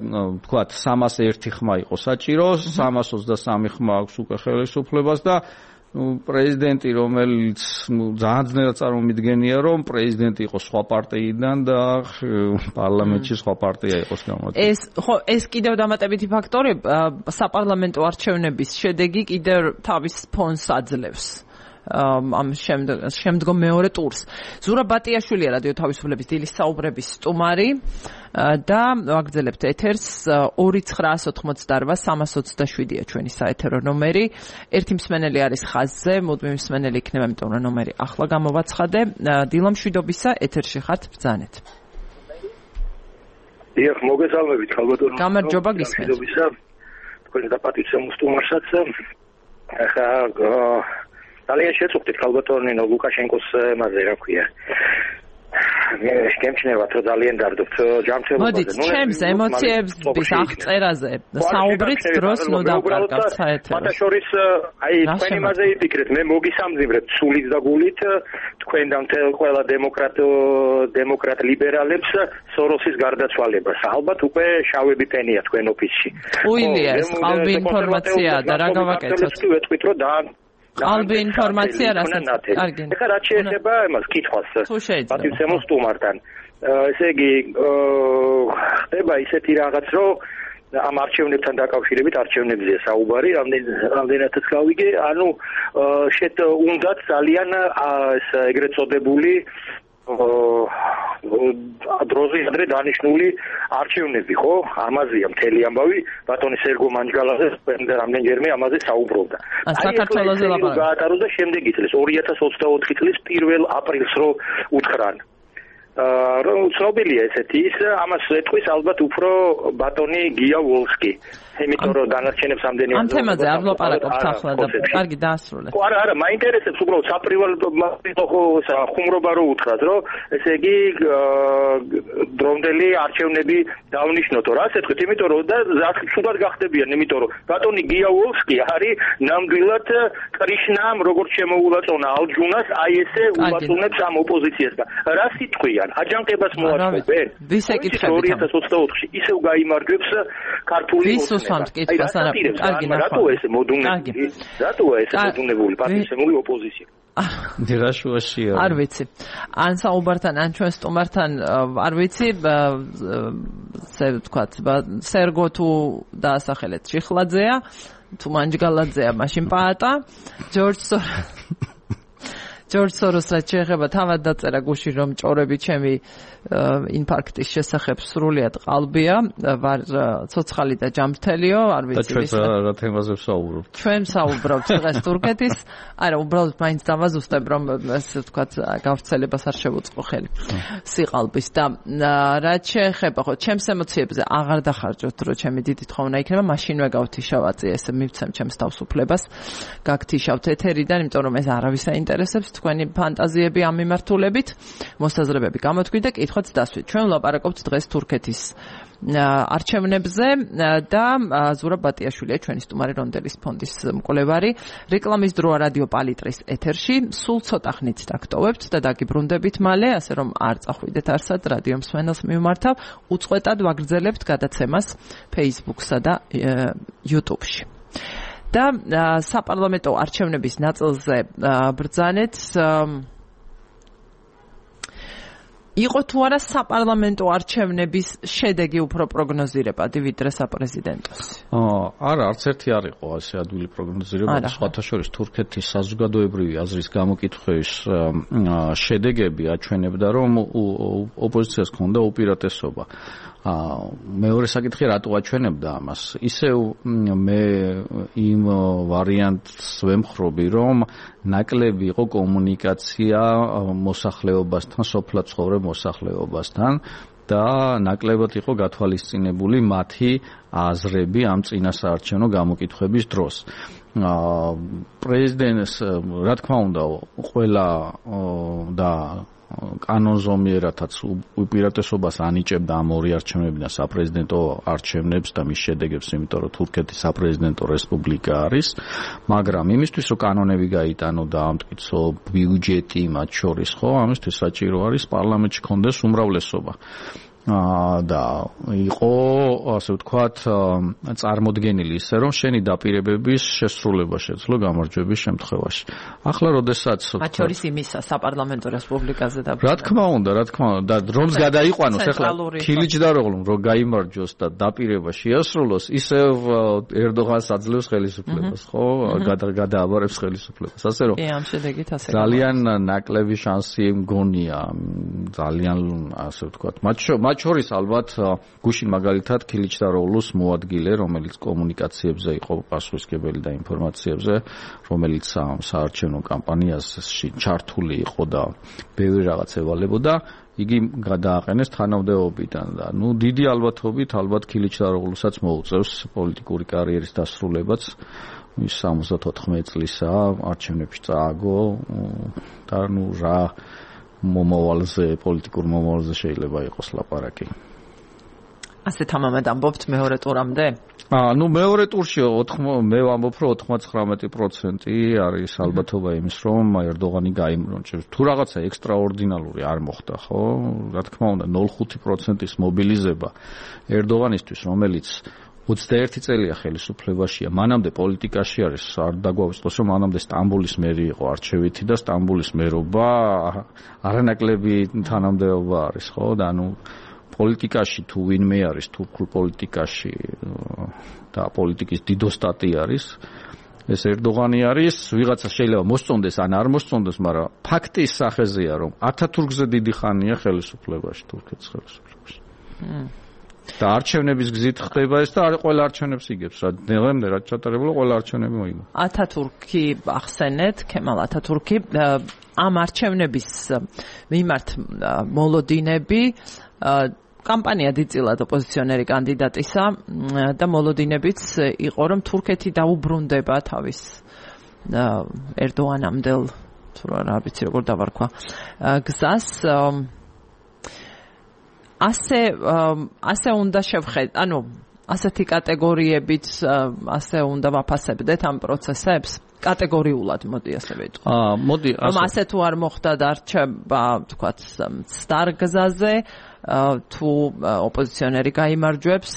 თქვათ სამას ერთი ხმა იყო საჭირო, სამას ოცდასამი ხმა აქვს უკვე ხელისუფლებას და პრეზიდენტი, რომელიც ძალიან ძნელად წარმომიდგენია, რომ პრეზიდენტი იყოს სხვა პარტიიდან და პარლამენტში სხვა პარტია იყოს გამოწვეული. ეს ხო, ეს კიდევ დამატებითი ფაქტორი, საპარლამენტო არჩევნების შედეგი კიდევ თავის ფონს აძლევს. ამ შემდგომ მეორე ტურს. ზურაბ ბატიაშვილია რადიო თავისუფლების დილის საუბრების სტუმარი და ვაგრძელებთ ეთერს ორი ცხრაას ოთხმოცდარვა სამას ოცდაშვიდია ჩვენი საეთერო ნომერი. ერთი მსმენელი არის ხაზზე, მუდმივი მსმენელი იქნება, იმიტომ რომ ნომერი ახლა გამოვაცხადე. დილა მშვიდობისა, ეთერში ხართ, ბრძანეთ. დიახ, მოგესალმებით, ხალბატონო. გამარჯობა, გისმენთ. მშვიდობისა. თქვენ დაპატივცემ სტუმარსაც. ახლა ძალიან შეწუხდით ხალბატონო ლუკაშენკოს მასზე რა ქვია. გემჩნევათ რომ ძალიან დარდობთ ჯანმრთელობაზე. მოდით, ჩემს ემოციებს აღწერაზე საუბრით დროს ნუ დავკარგავთ საერთოდ. მათაშორის აი თქვენი მასზე იფიქრეთ, მე მოგისამძიმრეთ სულით და გულით თქვენ და მთელ ყველა დემოკრატ დემოკრატ ლიბერალებს სოროსის გარდაცვალებას. ალბათ უკვე შავები პენია თქვენ ოფისში. უილია ეს ყალბი ინფორმაცია და რა გავაკეთოთ? ვეთქვით რომ და ყალბი ინფორმაცია რასაც კარგი. ეხლა რაც შეეხება იმას კითხვას პატივცემულ სტუმართან. ესე იგი ხდება ისეთი რაღაც, რომ ამ არჩევნებთან დაკავშირებით არჩევნებზეა საუბარი, რამდენადაც გავიგე, ანუ შეთ უნდათ ძალიან ეს ეგრეთ წოდებული დროზე ადრე დანიშნული არჩევნები, ხო? ამაზეა მთელი ამბავი, ბატონი სერგო მანჯგალაძე რამდენჯერმე ამაზე საუბრობდა. საქართველოზე ლაპარაკობ. გაატაროს და შემდეგი წლის ორი ათას ოცდაოთხი წლის პირველ აპრილს რო უთხრან. რომ ცნობილია ესეთი ის, ამას ეტყვის ალბათ უფრო ბატონი გია ვოლსკი. იმიტომ რომ დანარჩენებს ამდენი ამ თემაზე არ ვლაპარაკობთ ახლა და კარგი დაასრულეთ. ხო, არა, არა, მაინტერესებს უბრალოდ საპრივალო ხუმრობა რო უთხრათ, რომ ესე იგი დრომდელი არჩევნები დავნიშნოთო. რას ეთქვით? იმიტომ რომ და ზუსტად გახდებიან, იმიტომ რომ ბატონი გია ვოლსკი არის ნამდვილად კრიშნამ როგორც შემოულაწონა ალჯუნას, აი ესე ულაწონებს ამ ოპოზიციას და რა სიტყვიან? აჯანყებას მოაწყობენ. ვის ეკითხებით? ორი ათას ოცდაოთხში ისევ გაიმარჯვებს ქართული კითხავს არა კარგი ნახვა. რატოა ესე მოდუნებული? რატოა ესე მოდუნებული პარტიისემული ოპოზიცია? დირაშუაშია. არ ვიცი. ან საუბართან, ან ჩვენ სტუმართან არ ვიცი, ესე ვთქვათ, სერგო თუ დაასახელეთ შიხლაძეა, თუ მანჯგალაძეა, მაშინ პაატა, ჯორჯ სოროს ჯორჯ სოროს რაც შეეხება თავად დაწერა გუში რომ ჭორები ჩემი ინფარქტის შესახებ სრულიად ყალბია, ვარ ცოცხალი და ჯანმრთელიო, არ ვიცი ვის. და ჩვენ რა თემაზე ვსაუბრობთ? ჩვენ ვსაუბრობთ დღეს თურქეთის, არა, უბრალოდ მაინც დავაზუსტებ, რომ ასე ვთქვათ, გავრცელებას არ შევუწყო ხელი სიყალბის და რაც შეეხება ხო ჩემს ემოციებზე აღარ დახარჯოთ, რომ ჩემი დიდი თხოვნა იქნება, მაშინვე გავთიშავაწი, ესე მივცემ ჩემს თავსუფლებას, გაგთიშავთ ეთერიდან, იმიტომ რომ ეს არავის აინტერესებს თქვენი ფანტაზიები ამ მიმართულებით, მოსაზრებები გამოთქვით და კითხვაც დასვით. ჩვენ ვლაპარაკობთ დღეს თურქეთის არჩევნებზე და ზურაბ ბატიაშვილია ჩვენი სტუმარი რონდელის ფონდის მკვლევარი. რეკლამის დროა რადიო პალიტრის ეთერში. სულ ცოტა ხნით დაგტოვებთ და დაგიბრუნდებით მალე, ასე რომ არ წახვიდეთ არსად რადიო მსმენელს მიმართავ. უწყვეტად ვაგრძელებთ გადაცემას Facebook-სა და YouTube-ში. და საპარლამენტო არჩევნების ნაწილზე ბრძანეთ იყო თუ არა საპარლამენტო არჩევნების შედეგი უფრო პროგნოზირებადი ვიდრე საპრეზიდენტოს? აა არა, არც ერთი არ იყო ასე ადვილი პროგნოზირებადი. სხვათა შორის თურქეთის საზოგადოებრივი აზრის გამოკითხვის შედეგები აჩვენებდა, რომ ოპოზიციას ჰქონდა უპირატესობა. აა მეორე საკითხი რატო აჩვენებდა ამას? ისევ მე იმ ვარიანტს ვემხრობი, რომ ნაკლები იყო კომუნიკაცია მოსახლეობასთან, სოფლად ცხოვრებ მოსახლეობასთან და ნაკლებად იყო გათვალისწინებული მათი აზრები ამ წინასაარჩევნო გამოკითხვების დროს. აა პრეზიდენტს რა თქმა უნდა ყველა და კანონზომიერათაც უპირატესობას ანიჭებდა ამ ორი არჩევნებიდან საპრეზიდენტო არჩევნებს და მის შედეგებს, იმიტომ რომ თურქეთის საპრეზიდენტო რესპუბლიკა არის, მაგრამ იმისთვის რომ კანონები გაიტანო და ამტკიცო ბიუჯეტი მათ შორის, ხო, ამისთვის საჭირო არის პარლამენტში კონდეს უმრავლესობა. და იყო ასე ვთქვათ წარმოდგენილი ისე რომ შენი დაპირებების შესრულება შეძლო გამარჯვების შემთხვევაში. ახლა როდესაც მათ შორის იმისა საპარლამენტო რესპუბლიკაზე და რა თქმა უნდა, რა თქმა უნდა, და რომს გადაიყვანოს ახლა ქილიჯდაროღლუმ რომ გაიმარჯვოს და დაპირება შეასრულოს, ისევ ერდოღანს აძლევს ხელისუფლებას, ხო? გადააბარებს ხელისუფლებას. ასე რომ ამ შედეგით ასე ძალიან ნაკლები შანსი მგონია, ძალიან ასე ვთქვათ, მათ მათ შორის ალბათ გუშინ მაგალითად ქილიჩდაროღლუს მოადგილე, რომელიც კომუნიკაციებზე იყო პასუხისმგებელი და ინფორმაციებზე, რომელიც საარჩევნო კამპანიაში ჩართული იყო და ბევრი რაღაც ევალებოდა, იგი გადააყენეს თანამდებობიდან და ნუ დიდი ალბათობით ალბათ ქილიჩდაროღლუსაც მოუწევს პოლიტიკური კარიერის დასრულებაც. ის სამოცდაოთხ წლისაა, არჩევნებში წააგო და ნუ რა მომავალზე, პოლიტიკურ მომავალზე შეიძლება იყოს ლაპარაკი. ასე თამამად ამბობთ მეორე ტურამდე? აა, ნუ მეორე ტურში მე ვამბობ, რომ ოთხმოცდათხმეტი პროცენტი არის ალბათობა იმის, რომ ერდოღანი გაიმარჯვებს. თუ რაღაცა ექსტრაორდინალური არ მოხდა, ხო? რა თქმა უნდა, ნული კoma ხუთი პროცენტის მობილიზება ერდოღანისთვის, რომელიც ოცდაერთი წელია ხელისუფლებაშია, მანამდე პოლიტიკაში არის, არ დაგვაუწყოს, რომ მანამდე სტამბოლის მერი იყო არჩევითი და სტამბოლის მერობა არანაკლები თანამდებობა არის, ხო? და ანუ პოლიტიკაში თუ ვინმე არის, თურქულ პოლიტიკაში და პოლიტიკის დიდოსტატი არის, ეს ერდოღანი არის, ვიღაცა შეიძლება მოსწონდეს ან არ მოსწონდეს, მაგრამ ფაქტის სახეზეა, რომ ათათურქზე დიდი ხანია ხელისუფლებაში, თურქეთის ხელისუფლებაში. და არჩევნების გზით ხდება ეს და არ ყველა არჩევნებს იგებს, რა დღემდე რა ჩატარებულა ყველა არჩევნები მოიგო. ათათურქი ახსენეთ, ქემალ ათათურქი ამ არჩევნების მიმართ მოლოდინები კამპანია დიდწილად ოპოზიციონერი კანდიდატისა და მოლოდინებიც იყო, რომ თურქეთი დაუბრუნდება თავის ერდოღანამდელ, თუ რა ვიცი როგორ დავარქვა, გზას. ასე ასე უნდა შევხედოთ, ანუ ასეთი კატეგორიებით ასე უნდა ვაფასებდეთ ამ პროცესებს? კატეგორიულად, მოდი ასე ვიტყვი. აა, მოდი ასე. რომ ასე თუ არ მოხდა დარჩება, თქვათ, სტარ გზაზე, თუ ოპოზიციონერი გაიმარჯვებს,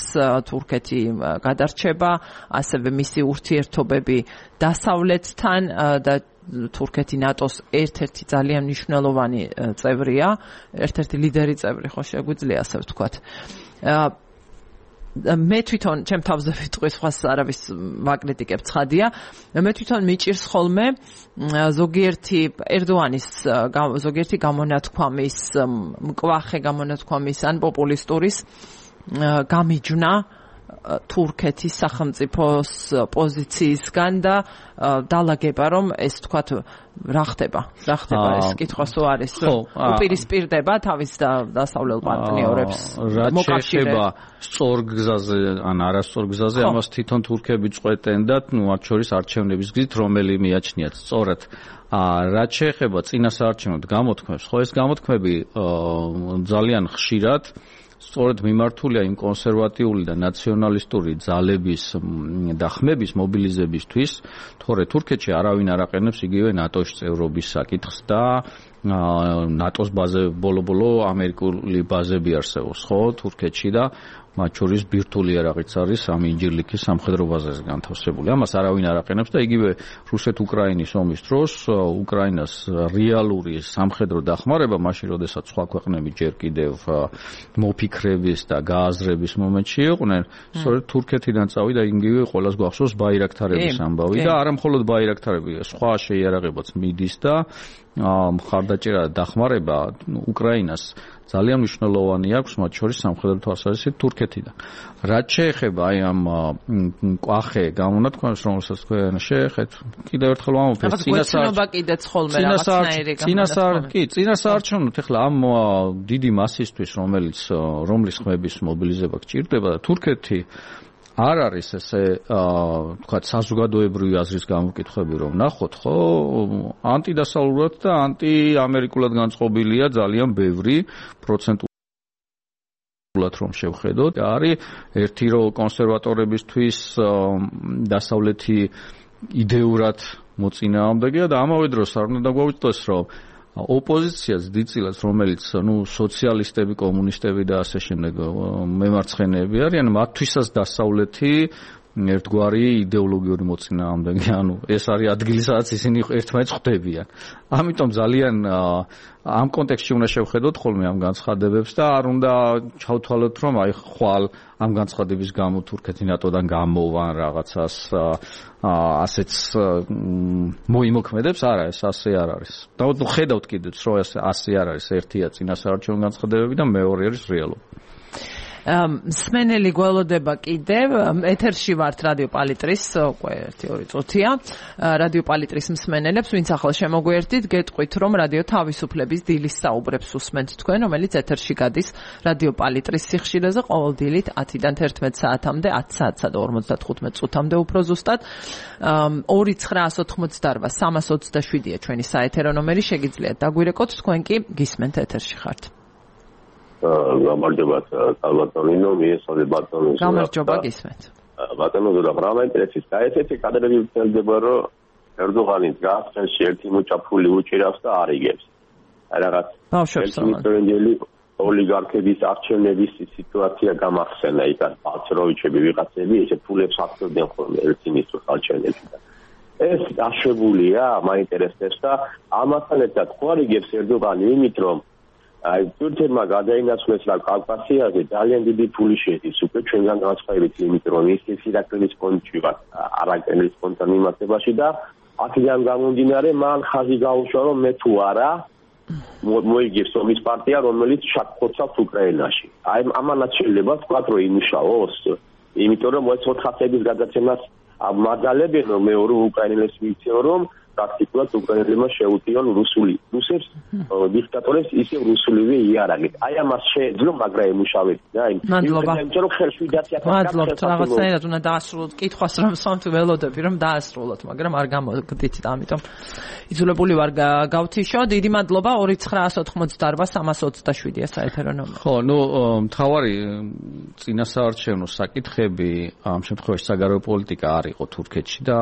თურქეთი გადარჩება, ასევე მისი ურთიერთობები დასავლეთთან და თურქეთი ნატოს ერთ-ერთი ძალიან მნიშვნელოვანი წევრია, ერთ-ერთი ლიდერი წევრი, ხო შეგვიძლია ასე ვთქვათ. მე თვითონ ჩემ თავზე ვიტყვი, სხვას არავის ვაკრიტიკებ, ცხადია. მე თვითონ მიჭირს ხოლმე ზოგიერთი ერდოანის ზოგიერთი გამონათქვამის, მკვახე გამონათქვამის ან პოპულისტურის გამიჯვნა თურქეთის სახელმწიფოს პოზიციისგან და დალაგება, რომ ეს თქვათ რა ხდება, რა ხდება ეს კითხვა სულ არის, უპირისპირდება თავის დასავლელ პარტნიორებს მოკავშირეება სწორ გზაზე ან არასწორ გზაზე, ამას თვითონ თურქები წყვეტენ და ნუ მათ შორის არჩევნების გზით რომელი მიაჩნიათ სწორად. რაც შეეხება წინასაარჩევნო გამოთქმებს, ხო ეს გამოთქმები ძალიან ხშირად სწორედ მიმართულია იმ კონსერვატიული და ნაციონალისტური ძალების და ხმების მობილიზებისთვის, თორე თურქეთში არავინ არ აყენებს იგივე ნატოს წევრობის საკითხს და ნატოს ბაზე ბოლო-ბოლო ამერიკული ბაზები არსებობს, ხო, თურქეთში და მათ შორის ბირთვული იარაღიც არის ამ ინჯირლიქის სამხედრო ბაზაზე განთავსებული. ამას არავინ არ აყენებს და იგივე რუსეთ-უკრაინის ომის დროს უკრაინას რეალური სამხედრო დახმარება მაშინ, როდესაც სხვა ქვეყნები ჯერ კიდევ მოფიქრების და გააზრების მომენტში იყვნენ, სწორედ თურქეთიდან წავიდა იგივე ყველას გვახსოვს ბაირაქტარების ამბავი და არა მხოლოდ ბაირაქტარები, სხვა შეიარაღებაც მიდის და მხარდაჭერა და დახმარება უკრაინას ძალიან მნიშვნელოვანი აქვს, მათ შორის სამხედრო თვალსაზრისით თურქეთიდან. რაც შეეხება აი ამ კვახე გამონათქვამს, რომელსაც თქვენ შეეხეთ, კიდევ ერთხელ ვამბობ, ეს წინასაარჩევნო კიდეც ხოლმე რაღაცნაირი წინასაარ კი, წინასაარჩევნოთ ახლა ამ დიდი მასისთვის, რომელიც რომლის ხმების მობილიზება გჭირდება და თურქეთი არ არის ესე თქვა საზოგადოებრივი აზრის გამოკითხვები რომ ნახოთ ხო ანტიდასავლურად და ანტიამერიკულად განწყობილია ძალიან ბევრი პროცენტულად რომ შევხედოთ არის ერთი რო კონსერვატორებისთვის დასავლეთი იდეურად მოწინააღმდეგეა და ამავე დროს არ უნდა დაგვაუწყდეს რომ ოპოზიციას დიდწილად რომელიც ნუ სოციალისტები, კომუნისტები და ასე შემდეგ მემარცხენეები არიან, მათთვისაც დასავლეთი ერთგვარი იდეოლოგიური მოწინააღმდეგე, ანუ ეს არის ადგილი, სადაც ისინი ერთმანეთს ხვდებიან. ამიტომ ძალიან ამ კონტექსტში უნდა შევხედოთ ხოლმე ამ განცხადებებს და არ უნდა ჩავთვალოთ, რომ აი ხვალ ამ განცხადების გამო თურქეთი ნატოდან გამოვა რაღაცას ასეც მოიმოქმედებს, არა, ეს ასე არ არის. და ხედავთ კიდეც, რომ ასე არ არის, ერთია წინასაარჩევნო განცხადებები და მეორე არის რეალობა. მსმენელი გველოდება კიდევ ეთერში ვართ რადიო პალიტრის უკვე ერთი ორი წუთია რადიო პალიტრის მსმენელებს ვინც ახლა შემოგვიერთდით გეტყვით რომ რადიო თავისუფლების დილის საუბრებს უსმენთ თქვენ რომელიც ეთერში გადის რადიო პალიტრის სიხშირეზე ყოველ დილით ათიდან თერთმეტ საათამდე ათ საათსა და ორმოცდათხუთმეტ წუთამდე უფრო ზუსტად ორი ცხრაას ოთხმოცდაორვა სამას ოცდაშვიდია ჩვენი საეთერო ნომერი შეგიძლიათ დაგვირეკოთ თქვენ კი გისმენთ ეთერში ხართ გამარჯობა კალბატონინო მიესწრები ბატონოს გამარჯობა გისმენთ ბატონო და პრამა ინტერესის და ესეთი კადრები ვწელდება რომ ერდოღანი გასწრებში ერთი მოჭაფული უჭირავს და არიგებს რაღაც ბავშვებს ოლიგარქების არჩევნების სიტუაცია გამახსენა იქ პატროვიჩები ვიღაცები ესე ფულებს აკეთებდნენ ხოლმე ერთი მისთვის არჩევნებში და ეს დაშვებულია მაინტერესებს და ამასთან ერთად ხوارიგებს ერდოღანი იმით რომ აი თურქეთმა გადაინაცვლეს რა კავკასიაზე ძალიან დიდი ფული შედის უკვე ჩვენგან განსხვავებით იმით რომ ის ირაკლის კონჩი ვარ არაკენის კონთან მიმართებაში და აქედან გამომდინარე მან ხაზი გაუშვა რომ მე თუ არა მოიგებს ომის პარტია რომელიც შაქხოცავს უკრაინაში აი ამანაც შეიძლება ვთქვათ რომ იმუშაოს იმიტომ რომ ეს ოთხასების გადაცემას მაგალებენ რომ მე ორი უკრაინელებს მიცემ რომ პრაქტიკულად უკრაინელებმა შეუტიონ რუსული რუსებს დიქტატორებს ისე რუსულივე იარაღით. აი ამას შეეძლო, მაგრამ ემუშავეთ და აი მადლობა. იმიტომ რომ ხელშვიდაცია მადლობთ, რაღაცნაირად უნდა დაასრულოთ კითხვას რომ სამ თუ ველოდები რომ დაასრულოთ, მაგრამ არ გამოგდით და ამიტომ იძულებული ვარ გავთიშო. დიდი მადლობა ორი ცხრაას ოთხმოცდაორვა სამას ოცდაშვიდია საეთერო ნომერი. ხო, ნუ მთავარი წინასაარჩევნო საკითხები ამ შემთხვევაში საგარეო პოლიტიკა არ იყო თურქეთში და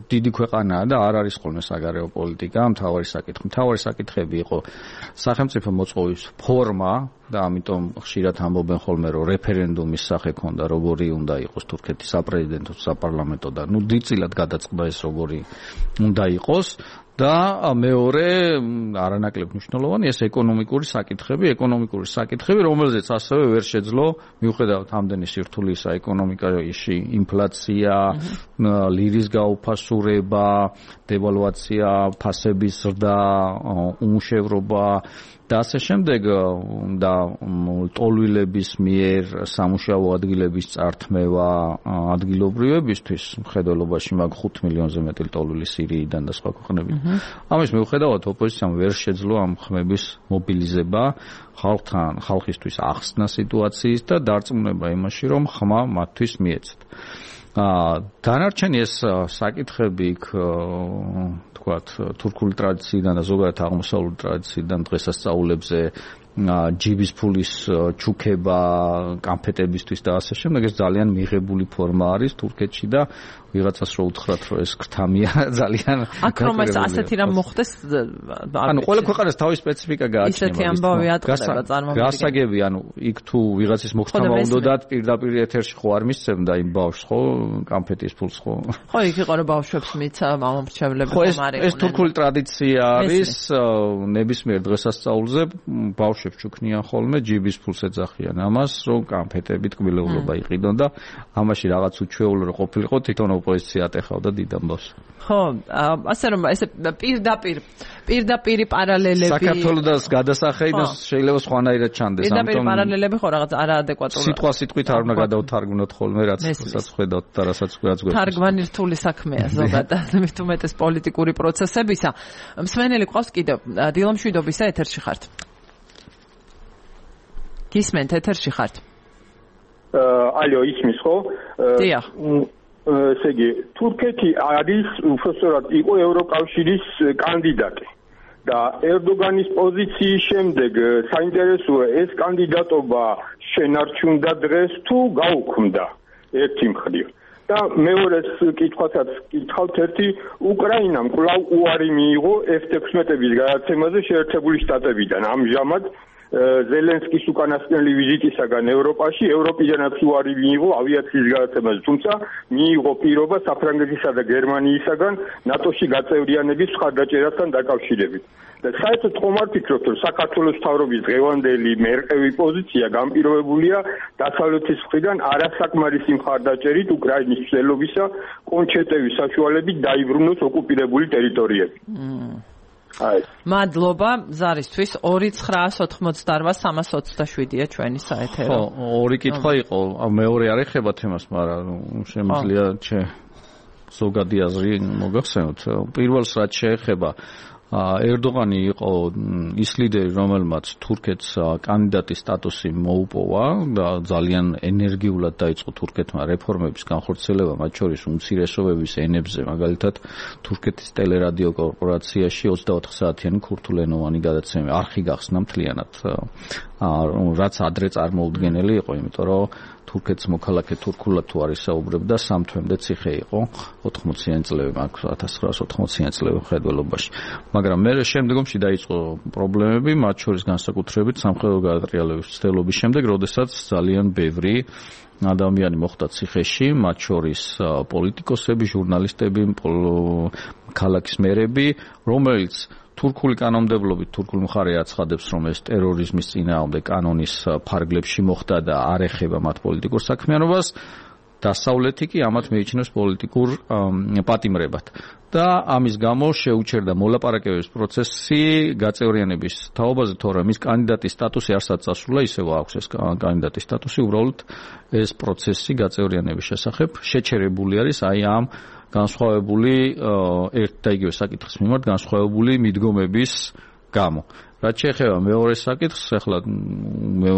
დიდი ქვეყანაა და არ არის ხოლმე საგარეო პოლიტიკა, მთავარი საკითხი. მთავარი საკითხები იყო სახელმწიფო მოწყობის ფორმა და ამიტომ ხშირად ამბობენ ხოლმე რომ რეფერენდუმის სახე ქონდა, როგორი უნდა იყოს თურქეთის საპრეზიდენტო საპარლამენტო და ნუ დიდწილად გადაწყდა ეს როგორი უნდა იყოს. და მეორე არანაკლებ მნიშვნელოვანი ეს ეკონომიკური საკითხები, ეკონომიკური საკითხები, რომელზეც ასევე ვერ შეძლო მიუხედავად ამდენი სირთულისა ეკონომიკაში ინფლაცია, ლირის გაუფასურება, დევალვაცია, ფასების ზრდა, უმუშევრობა და ასე შემდეგ და ტოლვილების მიერ სამუშაო ადგილების წართმევა ადგილობრივებისთვის მხედველობაში მაგ ხუთ მილიონზე მეტი ტოლვილი სირიიდან და სხვა ქვეყნებიდან. ამის მიუხედავად ოპოზიციამ ვერ შეძლო ამ ხმების მობილიზება ხალხთან, ხალხისთვის ახსნა სიტუაციის და დარწმუნება იმაში, რომ ხმა მათთვის მიეცეთ. დანარჩენი ეს საკითხები თქვათ თურქული ტრადიციიდან და ზოგადად აღმოსავლური ტრადიციიდან დღესასწაულებზე ჯიბის ფულის ჩუქება კამფეტებისთვის და ასე შემდეგ ეს ძალიან მიღებული ფორმა არის თურქეთში და ვიღაცას რო უთხრათ რომ ეს ქრთამია ძალიან აქ რომ ეს ასეთი რამ მოხდეს ანუ ყველა ქვეყანას თავის სპეციფიკა გააჩნია ისეთი ამბავი ატყდება წარმომადგენელი გასაგები ანუ იქ თუ ვიღაცის მოხდომა უნდათ პირდაპირ ეთერში ხო არ მისცემდა იმ ბავშვს ხო კამფეტის ფულს ხო ხო იქ იყო რომ ბავშვებს მიცა მამამრჩევლები ხომ არ იყო ეს თურქული ტრადიცია არის ნებისმიერ დღესასწაულზე ბავშვებს ჩუქნიან ხოლმე ჯიბის ფულს ეძახიან ამას რომ კამფეტებით კბილეულობა იყიდონ და ამაში რაღაც უჩვეულო რო ყოფილიყო თვითონ ოპოზიცია ატეხავდა დიდ ამბავს ხო ასე რომ ეს პირდაპირ პირდაპირი პარალელები საქართველოს გადასახადი და შეიძლება სხვანაირად ჩანდეს ამიტომ პირდაპირ პარალელები ხო რაღაც არაადეკვატური სიტყვა სიტყვით არ უნდა გადავთარგმნოთ ხოლმე რაც რასაც ხედავთ და რასაც რაც გვეცეს თარგმანი რთული საქმეა ზოგადად მით უმეტეს პოლიტიკური პროცესებისა მსმენელი ყავს კიდევ დილამშვიდობისა ეთერში ხართ გისმენთ ეთერში ხართ ალო ისმის ხო დიახ ესე იგი თურქეთი არის უბრალოდ იყო ევროკავშირის კანდიდატი და ერდოგანის პოზიციის შემდეგ საინტერესოა ეს კანდიდატობა შენარჩუნდა დღეს თუ გაუქმდა ერთი მხრივ და მეორეს კითხვასაც კითხავთ ერთი უკრაინამ კვლავ უარი მიიღო ეფ თექვსმეტების გადაცემაზე შეერთებული შტატებიდან ამჟამად ზელენსკის უკანასკნელი ვიზიტისაგან ევროპაში ევროპიდანაც უარი მიიღო ავიაციის გადაცემაზე თუმცა მიიღო პირობა საფრანგეთისა და გერმანიისაგან ნატოში გაწევრიანების მხარდაჭერასთან დაკავშირებით და საერთოდ ხომ არ ფიქრობთ რომ საქართველოს მთავრობის დღევანდელი მერყევი პოზიცია განპირობებულია დასავლეთის მხრიდან არასაკმარისი მხარდაჭერით უკრაინის მცდელობისა კონჩეტევის საშუალებით დაიბრუნოს ოკუპირებული ტერიტორიები აი მადლობა ზარისთვის ორი ცხრაას ოთხმოცდაოთხ სამას ოცდაშვიდია ჩვენი საეთერო ხო ორი კითხვა იყო მეორე არ ეხება თემას მაგრამ შემიძლია ჩე ზოგადი აზრი მოგახსენოთ პირველს რაც შეეხება ერდოღანი იყო ის ლიდერი რომელმაც თურქეთს კანდიდატის სტატუსი მოუპოვა და ძალიან ენერგიულად დაიწყო თურქეთმა რეფორმების განხორციელება მათ შორის უმცირესობების ენებზე მაგალითად თურქეთის ტელერადიო კორპორაციაში ოცდაოთხ საათიანი ქურთულენოვანი გადაცემა არხი გახსნა მთლიანად რაც ადრე წარმოუდგენელი იყო იმიტომ რომ თურქეთს მოქალაქე თურქულად თუ არის საუბრებდა სამ თვემდე ციხე იყო ოთხმოციანი წლები ათას ცხრაას ოთხმოციანი წლები მხედველობაში მაგრამ მე შემდგომში დაიწყო პრობლემები მათ შორის განსაკუთრებით სამხედრო გადატრიალების ცდილობის შემდეგ როდესაც ძალიან ბევრი ადამიანი მოხვდა ციხეში მათ შორის პოლიტიკოსები ჟურნალისტები ქალაქის მერები რომელიც თურქული კანონმდებლობით თურქული მხარე აცხადებს რომ ეს ტერორიზმის წინააღმდეგ კანონის ფარგლებში მოხდა და არ ეხება მათ პოლიტიკურ საქმიანობას დასავლეთი კი ამათ მიიჩნევს პოლიტიკურ პატიმრებად და ამის გამო შეუჩერდა მოლაპარაკებების პროცესი გაწევრიანების თაობაზე თორემ ის კანდიდატის სტატუსი არსად წასულა ისევ აქვს ეს კანდიდატის სტატუსი უბრალოდ ეს პროცესი გაწევრიანების შესახებ შეჩერებული არის აი ამ განსხვავებული ერთ და იგივე საკითხის მიმართ განსხვავებული მიდგომების გამო. რაც შეეხება მეორე საკითხს, ახლა მე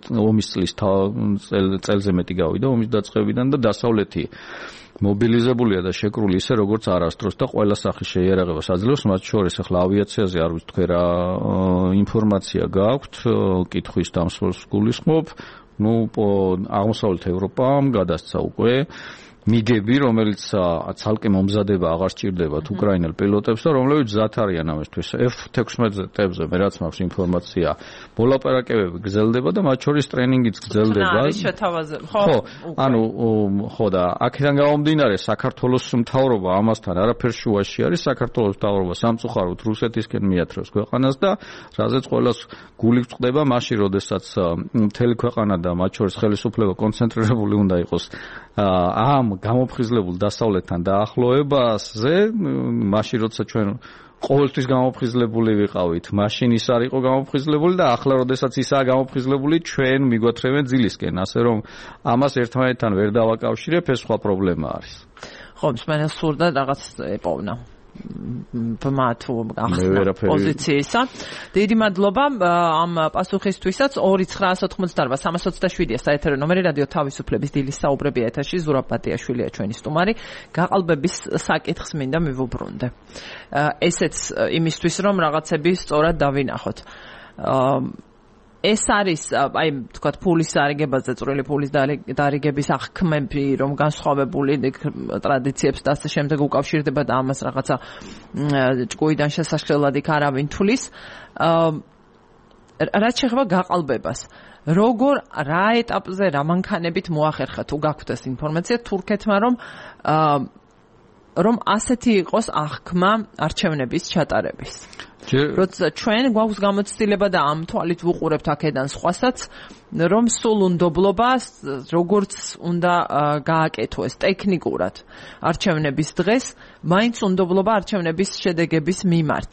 ომის წლის წელზე მეტი გავიდა ომის დაწყებიდან და დასავლეთი მობილიზებულია და შეკრული ისე როგორც არასდროს და ყველა სახის შეიარაღებას აძლევს მათ შორის ახლა ავიაციაზე არ ვიცი თქვენ რა ინფორმაცია გაქვთ კითხვის დამსვლელს გულისხმობ ну აღმოსავლეთ ევროპამ გადასცა უკვე მიგები, რომელიც ცალკე მომზადება აღარ სჭირდებათ უკრაინელ პილოტებს და რომლებიც მზად არიან ამისთვის. ეფ თექვსმეტზე მე რაც მაქვს ინფორმაცია, მოლაპარაკებები გრძელდება და მათ შორის ტრენინგიც გრძელდება. ხო, ანუ ხო და აქედან გამომდინარე საქართველოს მთავრობა ამასთან არაფერ შუაში არის, საქართველოს მთავრობა სამწუხაროდ რუსეთისკენ მიათრევს ქვეყანას და რაზეც ყველას გული გვწყდება მაშინ, როდესაც მთელი ქვეყანა და მათ შორის ხელისუფლება კონცენტრირებული უნდა იყოს ამ გამოფხიზლებულ დასავლეთთან დაახლოებაზე, მაშინ როცა ჩვენ ყოველთვის გამოფხიზლებული ვიყავით, მაშინ ის არ იყო გამოფხიზლებული და ახლა როდესაც ისაა გამოფხიზლებული, ჩვენ მიგვათრევენ ძილისკენ, ასე რომ ამას ერთმანეთთან ვერ დავაკავშირებ, ეს სხვა პრობლემა არის. ხო, მსმენელს სურდა რაღაც ეპოვნა. ბმათუ ახსნა პოზიციისა. დიდი მადლობა ამ პასუხისთვისაც. ორი ცხრაას ოთხმოცდაოთხ სამას ოცდაშვიდია საეთერო ნომერი რადიო თავისუფლების დილის საუბრები ეთერში ზურაბ ბატიაშვილია ჩვენი სტუმარი. გაყალბების საკითხს მინდა მივუბრუნდე. ესეც იმისთვის რომ რაღაცები სწორად დავინახოთ. ეს არის აი თქვათ ფულის დარიგებაზე წვრილი ფულის დარიგების აღქმები რომ განსხვავებული ტრადიციებს და ასე შემდეგ უკავშირდება და ამას რაღაცა ჭკუიდან შესაშლელად იქ არავინ თulis რაც შეეხება გაყალბებას როგორ რა ეტაპზე რა მანქანებით მოახერხა თუ გაქვთ ეს ინფორმაცია თურქეთმა რომ რომ ასეთი იყოს აღქმა არჩევნების ჩატარების როცა ჩვენ გვაქვს გამოცდილება და ამ თვალით ვუყურებთ აქედან სხვასაც რომ სულ უნდობლობას როგორც უნდა გააკეთოს ტექნიკურად არჩევნების დღეს მაინც უნდობლობა არჩევნების შედეგების მიმართ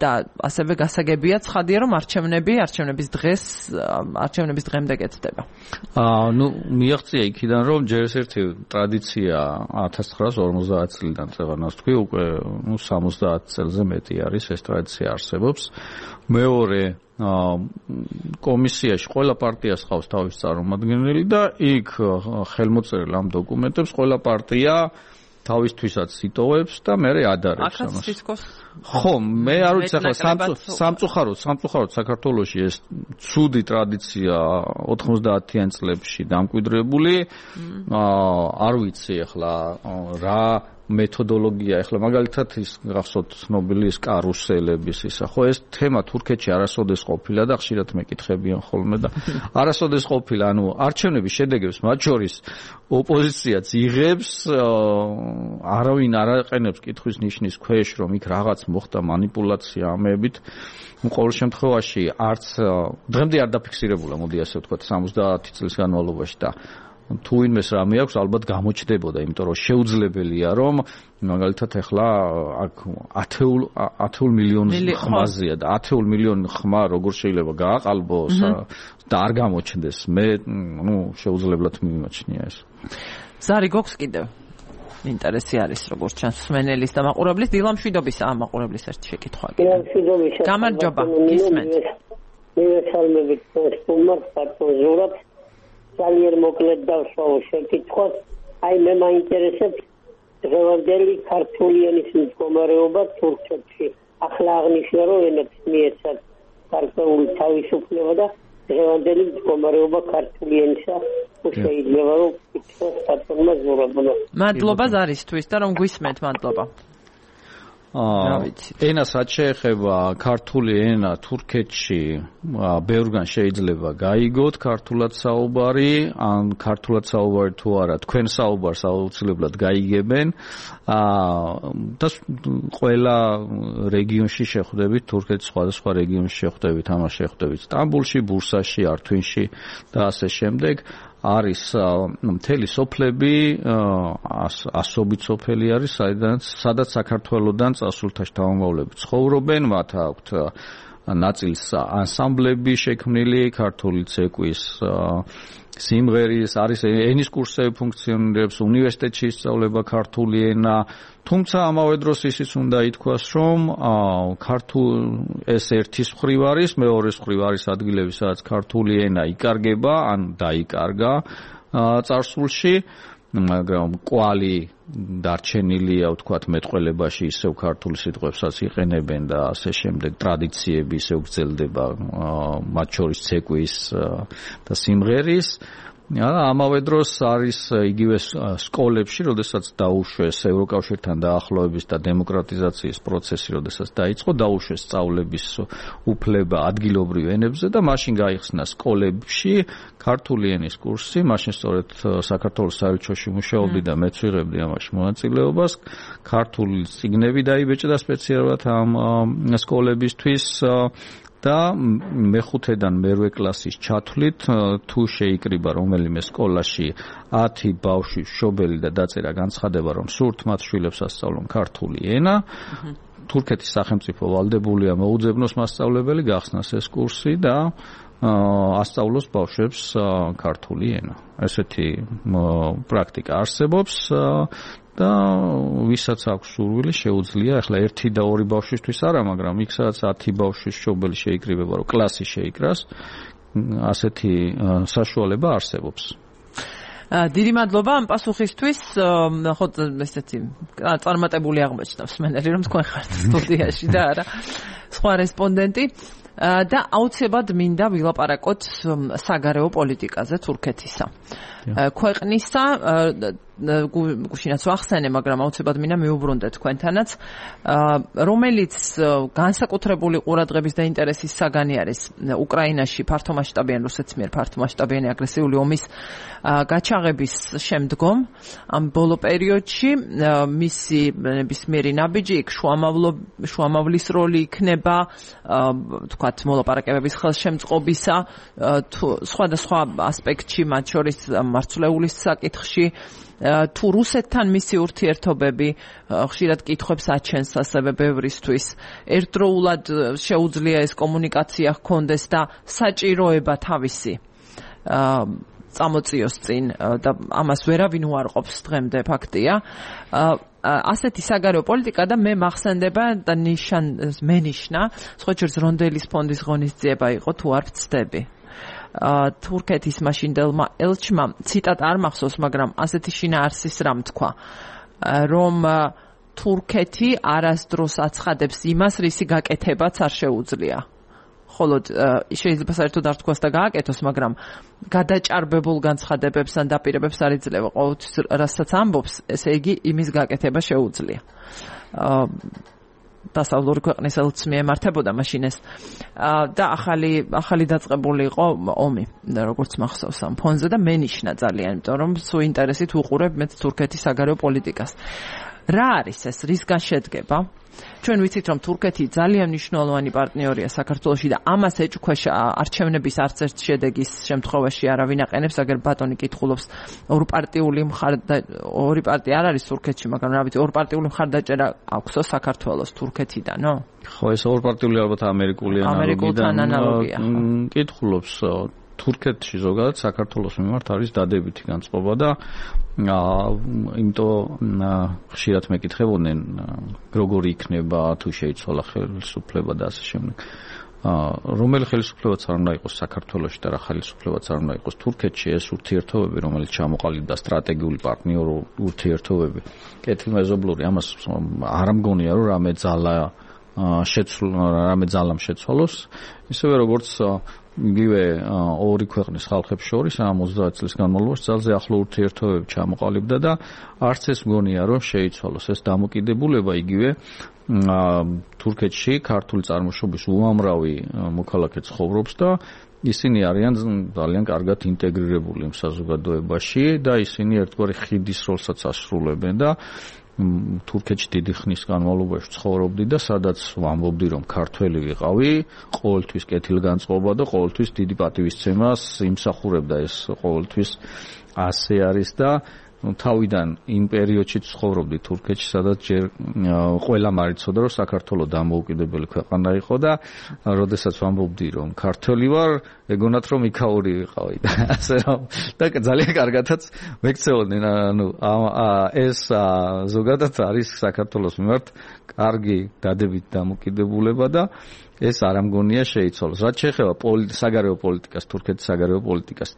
და ასევე გასაგებია ცხადია რომ არჩევნები არჩევნების დღეს არჩევნების დღემდე კეთდება აა ნუ მიაღწია იქიდან რომ ჯერ ერთი ტრადიცია ათას ცხრაას ორმოცდაათ წლიდან წევანას თქვი უკვე ნუ სამოცდაათ წელზე მეტი არის ეს ტრადიცია არსებობს მეორე კომისიაში ყველა პარტიას ყავს თავის წარმომადგენელი და იქ ხელმოწერილ ამ დოკუმენტებს ყველა პარტია თავისთვისაც იტოვებს და მე ადარებს ამას. ხო, მე არ ვიცი ახლა სამწუხაროდ, სამწუხაროდ საქართველოში ეს ცუდი ტრადიცია ოთხმოცდაათიან წლებში დამკვიდრებული. არ ვიცი ახლა რა მეთოდოლოგია ახლა მაგალითად ის გახსოვთ ცნობილი კარუსელების ისა ხო ეს თემა თურქეთში არასოდეს ყოფილა და ხშირად მეკითხებიან ხოლმე და არასოდეს ყოფილა ანუ არჩევნების შედეგებს მათ შორის ოპოზიციაც იღებს არავინ არ აყენებს კითხვის ნიშნის ქვეშ რომ იქ რაღაც მოხდა манипуляცია ამებით ყოველ შემთხვევაში არც დღემდე არ დაფიქსირებულა მოდი ასე ვთქვათ სამოცდაათი წლის განმავლობაში და თუ ვინმეს რამე აქვს ალბათ გამოჩნდებოდა იმიტომ რომ შეუძლებელია რომ მაგალითად ახლა აქ ათეულ მილიონს ხმაზეა და ათეულ მილიონ ხმა როგორ შეიძლება გააყალბოს და არ გამოჩნდეს მე ნუ შეუძლებლად მიმაჩნია ეს ზარი გოქს კიდევ ინტერესი არის როგორც ჩანს სმენელის და მაყურებლის დილამშვიდობის ამ მაყურებლის ერთი შეკითხვა გამარჯობა გისმენთ მივესალმებით სტუმარს პატონჟურად ძალიან მოკლედ დავსვავო შეკითხვას აი მე მაინტერესებს დღევანდელი ქართული ენის მდგომარეობა თურქეთში ახლა აღნიშნა რომ ენებს მიეცათ გარკვეული თავისუფლება და დღევანდელი მდგომარეობა ქართული ენისა შეიძლება რომ კითხოს პატონმა ზურაბულა მადლობა ზარისთვის და რომ გვისმენთ მადლობა ენას რაც შეეხება ქართული ენა თურქეთში ბევრგან შეიძლება გაიგოთ ქართულად საუბარი ან ქართულად საუბარი თუ არა თქვენ საუბარს აუცილებლად გაიგებენ და ყველა რეგიონში შეხვდებით თურქეთის სხვადასხვა რეგიონში შეხვდებით ამას შეხვდებით სტამბულში ბურსაში ართვინში და ასე შემდეგ არის მთელი სოფლები ასობით სოფელი არის საიდანაც სადაც საქართველოსდან წასულთა შთამომავლები ცხოვრობენ მათ აქვთ ნაწილს ანსამბლები შექმნილი ქართული ცეკვის სიმღერის არის ენის კურსები ფუნქციონირებს უნივერსიტეტში ისწავლება ქართული ენა თუმცა ამავე დროს ისიც უნდა ითქვას რომ ქართულ ეს ერთის მხრივ არის მეორეს მხრივ არის ადგილები სადაც ქართული ენა იკარგება ან დაიკარგა წარსულში მაგრამ კვალი დარჩენილია ვთქვათ მეტყველებაში ისევ ქართული სიტყვებსაც იყენებენ და ასე შემდეგ ტრადიციები ისევ გრძელდება მათ შორის ცეკვის და სიმღერის ამავე დროს არის იგივე სკოლებში, როდესაც დაუშვეს ევროკავშირთან დაახლოების და დემოკრატიზაციის პროცესი, როდესაც დაიწყო, დაუშვეს სწავლების უფლება ადგილობრივ ენებზე და მაშინ გაიხსნა სკოლებში ქართული ენის კურსი, მაშინ სწორედ საქართველოს საელჩოში მუშაობდი და მეც ვიღებდი ამაში მონაწილეობას, ქართული წიგნები დაიბეჭდა სპეციალურად ამ სკოლებისთვის და მეხუთედან მერვე კლასის ჩათვლით თუ შეიკრიბა რომელიმე სკოლაში ათი ბავშვი მშობელი და დაწერა განცხადება რომ სურთ მათ შვილებს ასწავლონ ქართული ენა თურქეთის სახელმწიფო ვალდებულია მოუძებნოს მასწავლებელი გახსნას ეს კურსი და ასწავლოს ბავშვებს ქართული ენა ესეთი პრაქტიკა არსებობს და ვისაც აქვს სურვილი შეუძლია ახლა ერთი და ორი ბავშვისთვის არა მაგრამ იქ სადაც ათი ბავშვის მშობელი შეიკრიბება რომ კლასი შეიკრას ასეთი საშუალება არსებობს დიდი მადლობა ამ პასუხისთვის ხო ესეთი წარმატებული აღმოჩნდა მსმენელი რომ თქვენ ხართ სტუდიაში და არა სხვა რესპონდენტი და აუცილებლად მინდა ვილაპარაკოთ საგარეო პოლიტიკაზე თურქეთისა. ქვეყნისა გუშინაც ვახსენე, მაგრამ აუცილებლად მინდა მიუბრუნდე თქვენთანაც, რომელიც განსაკუთრებული ყურადღების და ინტერესის საგანი არის უკრაინაში ფართომასშტაბიანი რუსეთის მიერ ფართომასშტაბიანი აგრესიული ომის გაჩაღების შემდგომ ამ ბოლო პერიოდში მისი ნებისმიერი ნაბიჯი იქ შუამავლის როლი იქნება, თქვათ მოლაპარაკებების ხელშემწყობისა თუ სხვადასხვა ასპექტში, მათ შორის მარცვლეულის საკითხში, თუ რუსეთთან მისი ურთიერთობები ხშირად კითხვებს აჩენს ასევე ბევრისთვის. ერთდროულად შეუძლია ეს კომუნიკაცია ჰქონდეს და საჭიროება თავისი წამოწიოს წინ და ამას ვერავინ უარყოფს დღემდე ფაქტია. ასეთი საგარეო პოლიტიკა და მე მახსენდება და ნიშან მენიშნა სხვაჯერს რონდელის ფონდის ღონისძიება იყო, თუ არ ვცდები. თურქეთის მაშინდელმა ელჩმა ციტატ არ მახსოვს, მაგრამ ასეთი შინაარსის რამ თქვა, რომ თურქეთი არასდროს აცხადებს იმას, რისი გაკეთებაც არ შეუძლია. ხოლო შეიძლება საერთოდ არ თქვას და გააკეთოს, მაგრამ გადაჭარბებულ განცხადებებს ან დაპირებებს არ იძლევა. ყოველთვის რასაც ამბობს, ესე იგი იმის გაკეთება შეუძლია. დასავლური ქვეყნის ელჩს მიემართებოდა მაშინ ეს და ახალი ახალი დაწყებული იყო ომი, როგორც მახსოვს ამ ფონზე და მენიშნა ძალიან, იმიტომ რომ სულ ინტერესით ვუყურებ მე თურქეთის საგარეო პოლიტიკას. რა არის ეს, რისგან შედგება? ჩვენ ვიცით, რომ თურქეთი ძალიან მნიშვნელოვანი პარტნიორია საქართველოში და ამას ეჭქვეშ არჩევნების არც ერთ შედეგის შემთხვევაში არავინ აყენებს, აგერ ბატონი კითხულობს ორპარტიული მხარდა ორი პარტია არ არის თურქეთში, მაგრამ რა ვიცი, ორპარტიული მხარდაჭერა აქვსო საქართველოს თურქეთიდანო? ხო, ეს ორპარტიული ალბათ ამერიკული ანალოგია. კითხულობს თურქეთში ზოგადად საქართველოს მიმართ არის დადებითი განწყობა და იმიტომ ხშირად მეკითხებოდნენ როგორი იქნება თუ შეიცვალა ხელისუფლება და ასე შემდეგ. რომელი ხელისუფლებაც არ უნდა იყოს საქართველოში და რა ხელისუფლებაც არ უნდა იყოს თურქეთში, ეს ურთიერთობები, რომელიც ჩამოყალიბდა სტრატეგიული პარტნიორო ურთიერთობები, კეთილმეზობლური, ამას არ მგონია რომ რამე ძალა შეცვლა, რამე ძალამ შეცვალოს, ისევე როგორც იგივე ორი ქვეყნის ხალხებს შორის ამ ოცდაათ წლის განმავლობაში ძალზე ახლო ურთიერთობები ჩამოყალიბდა და არც ეს მგონია რომ შეიცვალოს. ეს დამოკიდებულება იგივე თურქეთში ქართული წარმოშობის უამრავი მოქალაქე ცხოვრობს და ისინი არიან ძალიან კარგად ინტეგრირებული იმ საზოგადოებაში და ისინი ერთგვარი ხიდის როლსაც ასრულებენ და თურქეთში დიდი ხნის განმავლობაში ცხოვრობდი და სადაც ვამბობდი რომ ქართველი ვიყავი, ყოველთვის კეთილგანწყობა და ყოველთვის დიდი პატივისცემას იმსახურებდა, ეს ყოველთვის ასე არის და თავიდან იმ პერიოდში ცხოვრობდი თურქეთში, სადაც ჯერ ყველა მარიცოდა რომ საქართველოს დამოუკიდებელი ქვეყანა იყო და როდესაც ვამბობდი რომ ქართველი ვარ, ეგონათ რომ იქაური ვიყავი და ასე რომ და ძალიან კარგადაც მეკცეოდნენ, ანუ ეს ზოგადად არის საქართველოს მიმართ კარგი დადებით დამოკიდებულება და ეს არ ამგონია შეიცვალოს. რაც შეეხება საგარეო პოლიტიკას, თურქეთის საგარეო პოლიტიკას,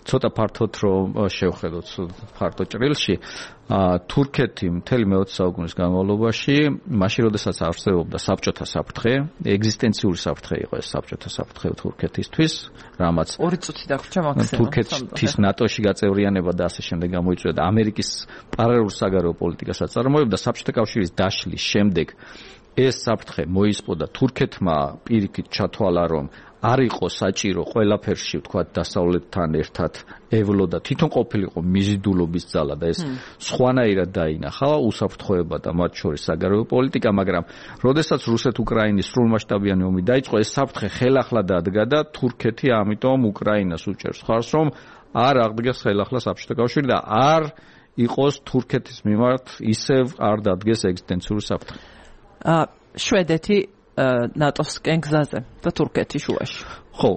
ცოტა ფართოდ რომ შევხედოთ ფართო ჭრილში, თურქეთი მთელი მეოცე საუკუნის განმავლობაში, მაშინ როდესაც არსებობდა საბჭოთა საფრთხე, ეგზისტენციური საფრთხე იყო ეს საბჭოთა საფრთხე თურქეთისთვის, რამაც ორი წუთი დაგვრჩა მაქსიმუმ თურქეთის ნატოში გაწევრიანება და ასე შემდეგ გამოიწვია და ამერიკის პარალელურ საგარეო პოლიტიკასაც წარმოებდა საბჭოთა კავშირის დაშლის შემდეგ ეს საფრთხე მოისპო და თურქეთმა პირიქით ჩათვალა რომ არ იყო საჭირო ყველაფერში ვთქვათ დასავლეთთან ერთად ევლო და თვითონ ყოფილიყო მიზიდულობის ძალა და ეს სხვანაირად დაინახა უსაფრთხოება და მათ შორის საგარეო პოლიტიკა, მაგრამ როდესაც რუსეთ-უკრაინის სრულმასშტაბიანი ომი დაიწყო, ეს საფრთხე ხელახლა დადგა და თურქეთი ამიტომ უკრაინას უჭერს ხარს რომ არ აღდგეს ხელახლა საბჭოთა კავშირი და არ იყოს თურქეთის მიმართ ისევ არ დადგეს ეგზისტენციური საფრთხე. შვედეთი ნატოს კენგზაზე და თურქეთი შუაში. ხო,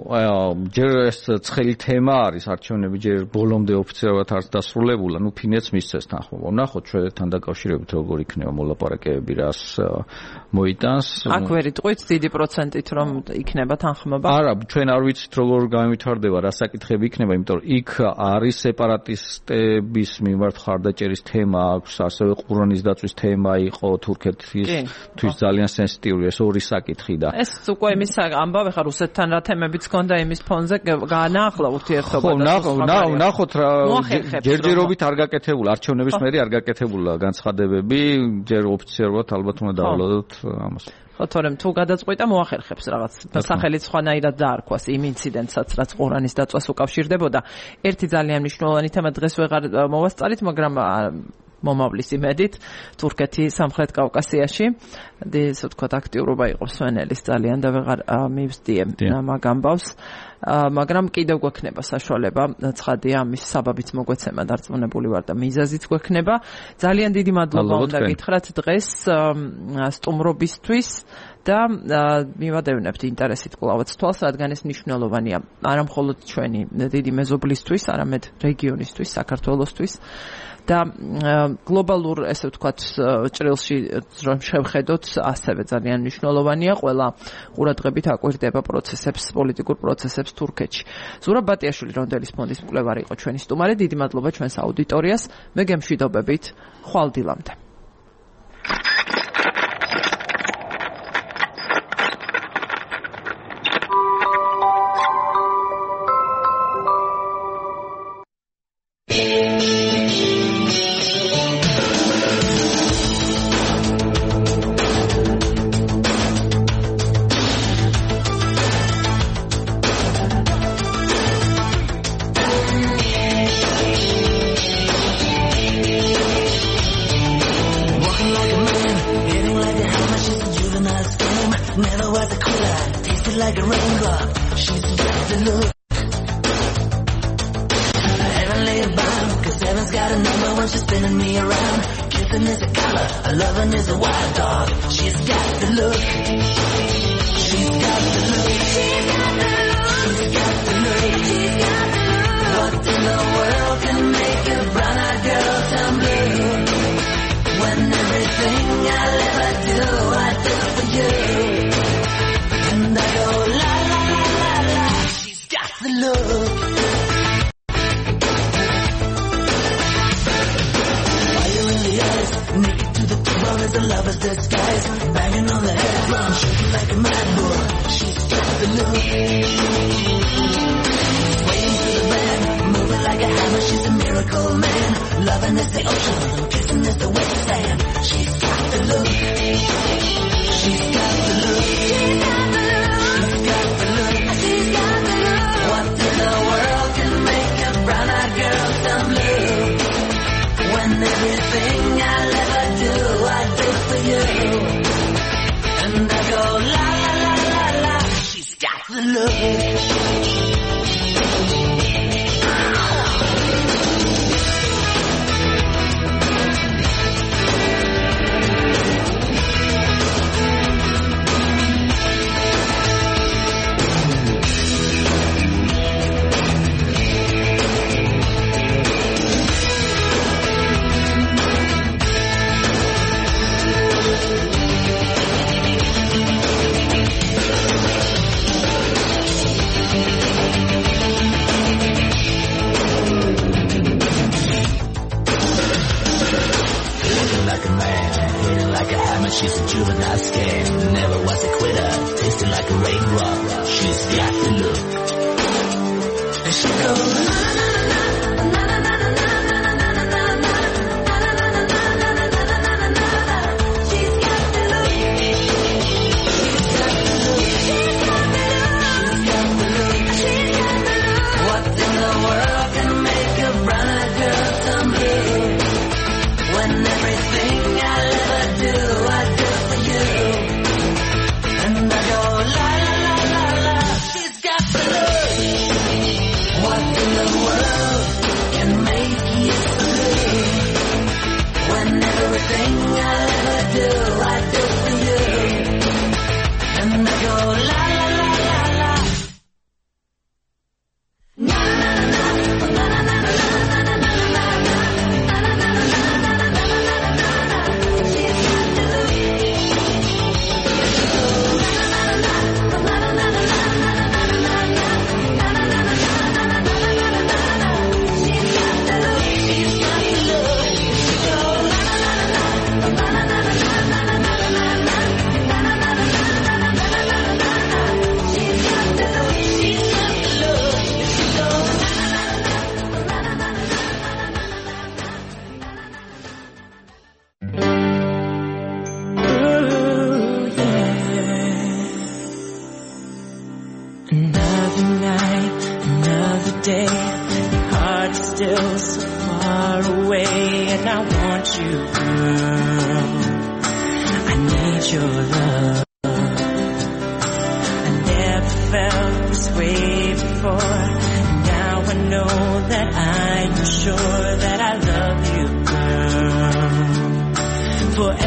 ჯერ ეს ცხელი თემა არის არჩევნები ჯერ ბოლომდე ოფიციალურად არ დასრულებულა, ნუ ფინეთს მისცეს თანხმობა. ნახოთ ჩვენთან დაკავშირებით როგორ იქნება მოლაპარაკებები, რას მოიტანს. აქ ვერ იტყვით დიდი პროცენტით რომ იქნება თანხმობა? არა, ჩვენ არ ვიცით როგორ განვითარდება, რა საკითხები იქნება, იმიტომ რომ იქ არის სეპარატისტების მიმართ ხარდაჭერის თემა აქვს, ასევე ყურანის დაწვის თემა იყო თურქეთისთვის ძალიან სენსიტიური ეს ორი საკითხი და ეს უკვე იმის ამბავი ხარ რუსეთთან რა თემებიც გქონდა იმის ფონზე გაანაახლა ურთიერთობა და ხო, ნახოთ რა ჯერჯერობით არ გაკეთებულა არჩევნების მერე არ გაკეთებულა განცხადებები, ჯერ ოფიციალურად ალბათ უნდა დავალოდოთ ამას. ხო, თორემ თუ გადაწყვიტა მოახერხებს რაღაც სახელით სხვანაირად დაარქვას იმ ინციდენტსაც, რაც ყურანის დაწვას უკავშირდებოდა. ერთი ძალიან მნიშვნელოვანი თემა დღეს ვეღარ მოვასწარით, მაგრამ მომავლის იმედით თურქეთი სამხრეთ კავკასიაში ეს ვთქვათ აქტიურობა იყო სვენელის ძალიან და ვეღარ მივსდიე მაგ ამბავს, მაგრამ კიდევ გვექნება საშუალება ცხადია ამის საბაბიც მოგვეცემა დარწმუნებული ვარ და მიზეზიც გვექნება. ძალიან დიდი მადლობა უნდა გითხრათ დღეს სტუმრობისთვის და მივადევნებთ ინტერესით კლავაც თვალს, რადგან ეს მნიშვნელოვანია არა მხოლოდ ჩვენი დიდი მეზობლისთვის, არამედ რეგიონისთვის, საქართველოსთვის და გლობალურ ესე ვთქვათ ჭრილში რომ შევხედოთ ასევე ძალიან მნიშვნელოვანია ყველა ყურადღებით აკვირდება პროცესებს, პოლიტიკურ პროცესებს თურქეთში. ზურაბ ბატიაშვილი რონდელის ფონდის მკვლევარი იყო ჩვენი სტუმარი. დიდი მადლობა ჩვენს აუდიტორიას. მე გემშვიდობებით ხვალ დილამდე. What in the I want you, girl. I need your love. I never felt this way before. Now I know that I am sure that I love you, girl. Forever.